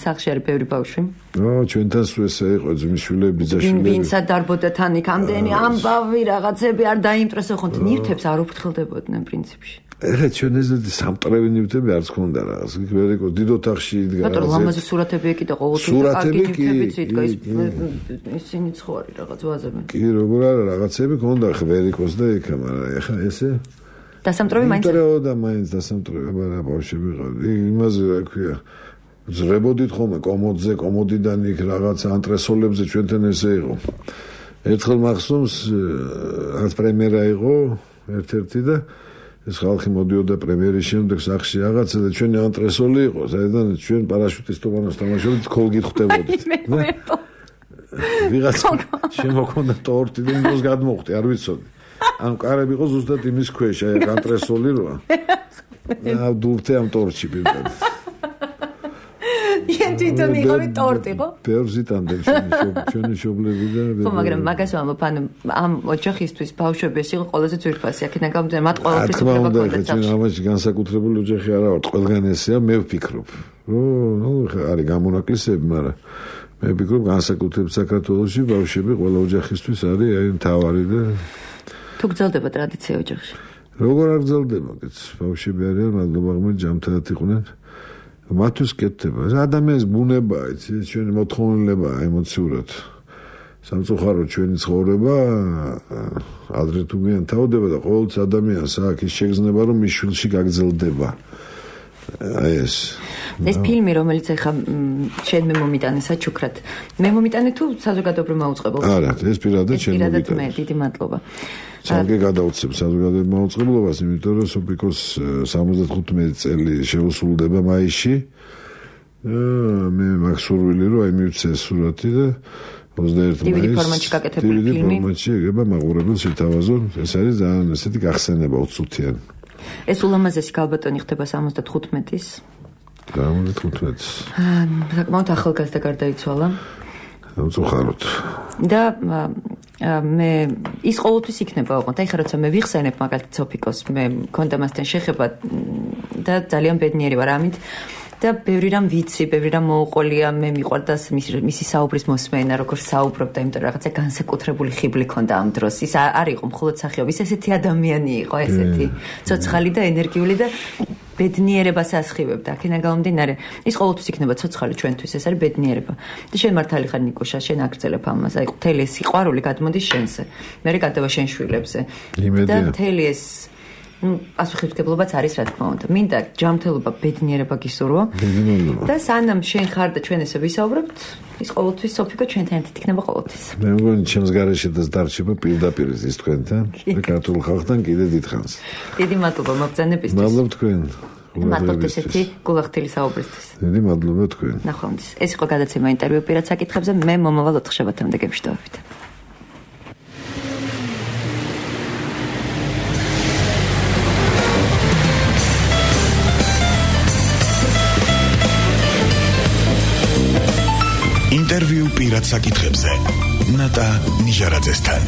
სახლში არის ბევრი ბავშვი. ო, ჩვენთან სულ ესე იყო ძმისშვილები, ბიძაშვილები. ვინცა დარბოდა თან იქ ამდენი ამბავი რაღაცები არ დაიმტრესო ხონთ, ნივთებს არ უფრთხილდებოდნენ პრინციპში. ეხლა ჩვენ ეს სამტრევი ნივთები არც ქონდა რაღაც. იქ ვერიკო დიდ ოთახში იდგა. ბატონო, ლამაზი სურათები ეკიდა ყოველთვის და კარგი ნივთებიც იდგა ის ისინი ცხოვრი რაღაც ვაზები. კი, როგორ არა რაღაცები ქონდა ვერიკოს და იქა, მაგრამ ეხლა ესე დასამტრევი მაინც სამტრევი და მაინც დასამტრევი, მაგრამ ბავშვები ყავდა. იმაზე რა ქვია, ზრებოდით ხოლმე კომოდზე, კომოდიდან იქ რაღაც ანტრესოლებზე ჩვენთან ესე იყო. ერთხელ მახსოვს რაც პრემიერა იყო ერთ-ერთი და ეს ხალხი მოდიოდა პრემიერის შემდეგ სახში რაღაცა და ჩვენი ანტრესოლი იყო, საერთოდ ჩვენ პარაშუტისტოვანას თამაშობდით, ქოლგით ხვდებოდით. ვიღაც შემოქონდა ტორტი და იმას გადმოხვდი, არ ვიცოდი. ამ კარები იყო ზუსტად იმის ქვეშ, აი ანტრესოლი როა. და დურთე ამ ტორტში პირდად. იან თვითონ იყავი ტორტი ხო? პერზიტანდე ჩვენი შობლები და ხო, მაგრამ მაგას ვამბობ, ანუ ამ ოჯახისთვის ბავშვები ეს იყო ყველაზე ძვირფასი, აქედან გამომდინარე, მათ ყოველთვის უნდა ჰქონდათ. ჩვენ ამაში განსაკუთრებული ოჯახი არა ვართ, ყველგან ესეა, მე ვფიქრობ. ნუ არის გამონაკლისები, მაგრამ მე ვფიქრობ განსაკუთრებით საქართველოში ბავშვები ყველა ოჯახისთვის არის აი მთავარი და თუ გრძელდება ტრადიცია ოჯახში. როგორ არ გრძელდება, კეთს, ბავშვები არიან, მადლობა ღმერთს, ჯამთაათ იყვნენ. მათთვის კეთდება. ადამიანის ბუნებაა, იცი, ჩვენი მოთხოვნილება ემოციურად. სამწუხაროდ ჩვენი ცხოვრება ადრე თუ გვიან თავდება და ყოველთვის ადამიანს აქვს ის შეგრძნება, რომ მის შვილში გაგრძელდება. აი ეს. ეს ფილმი, რომელიც ახლა შენ მე მომიტანე საჩუქრად. მე მომიტანე თუ საზოგადოებრივ მაუწყებელს? არა, ეს პირადად შენ მომიტანე. პირადად მე, დიდი მადლობა. ცალკე გადავწევ საზოგადოებრივ მაუწყებლობას, იმიტომ რომ სოფიკოს სამოცდახუთმეტი წელი შეუსრულდება მაისში. მე მაქსურვილი რომ აი მივცე სურათი და ოცდაერთი მაისს დივიდი ფორმატში გაკეთებული ფილმი. დივიდი ფორმატში ეგება მაყურებელს შეთავაზონ. ეს არის ძალიან ესეთი გახსენება უცუთიანი. ეს ულამაზესი ქალბატონი ხდება სამოცდათხუთმეტის. სამოცდათხუთმეტის. საკმაოდ ახალგაზრდა გარდაიცვალა. უწუხაროდ. და მე ის ყოველთვის იქნება ოღონდ. აი ხა როცა მე ვიხსენებ მაგალითად სოფიკოს, მე მქონდა მასთან შეხება და ძალიან ბედნიერი ვარ ამით. და ბევრი რამ ვიცი, ბევრი რამ მოუყოლია, მე მიყვარდა მისი საუბრის მოსმენა, როგორ საუბრობდა, იმიტომ რომ რაღაცა განსაკუთრებული ხიბლი ჰქონდა ამ დროს. ის არ იყო მხოლოდ სახეობ, ის ესეთი ადამიანი იყო, ესეთი ცოცხალი და ენერგიული და ბედნიერებას ასხივებდა. აქედან გამომდინარე, ის ყოველთვის იქნება ცოცხალი ჩვენთვის, ეს არის ბედნიერება. და შენ მართალი ხარ ნიკუშა, შენ აგრძელებ ამას. აი მთელი ეს სიყვარული გადმოდის შენზე. მე გადავა შენ შვილებზე. და მთელი ეს ну, პასუხისმგებლობაც არის, რა თქმა უნდა. მინდა ჯანმრთელობა, ბედნიერება გისურვო. და სანამ შენ ხარ და ჩვენ ესე ვისაუბრებთ, ის ყოველთვის სოფიკო ჩვენთან ერთად იქნება ყოველთვის. მე მგონი ჩემს გარეშედაც დარჩება პირდაპირ ის თქვენთან, და ქართულ ხალხთან კიდე დიდხანს. დიდი მადლობა მოგზაურობისთვის. მადლობა თქვენ. მადლობა ესეთი გულახდილი საუბრისთვის. დიდი მადლობა თქვენ. ნახვამდის. ეს იყო გადაცემა ინტერვიუ პირად საკითხებზე. მე მომავალ ოთხშაბათამდე გემშვიდობებით. ინტერვიუ პირად საკითხებზე ნატა ნიჟარაძესთან.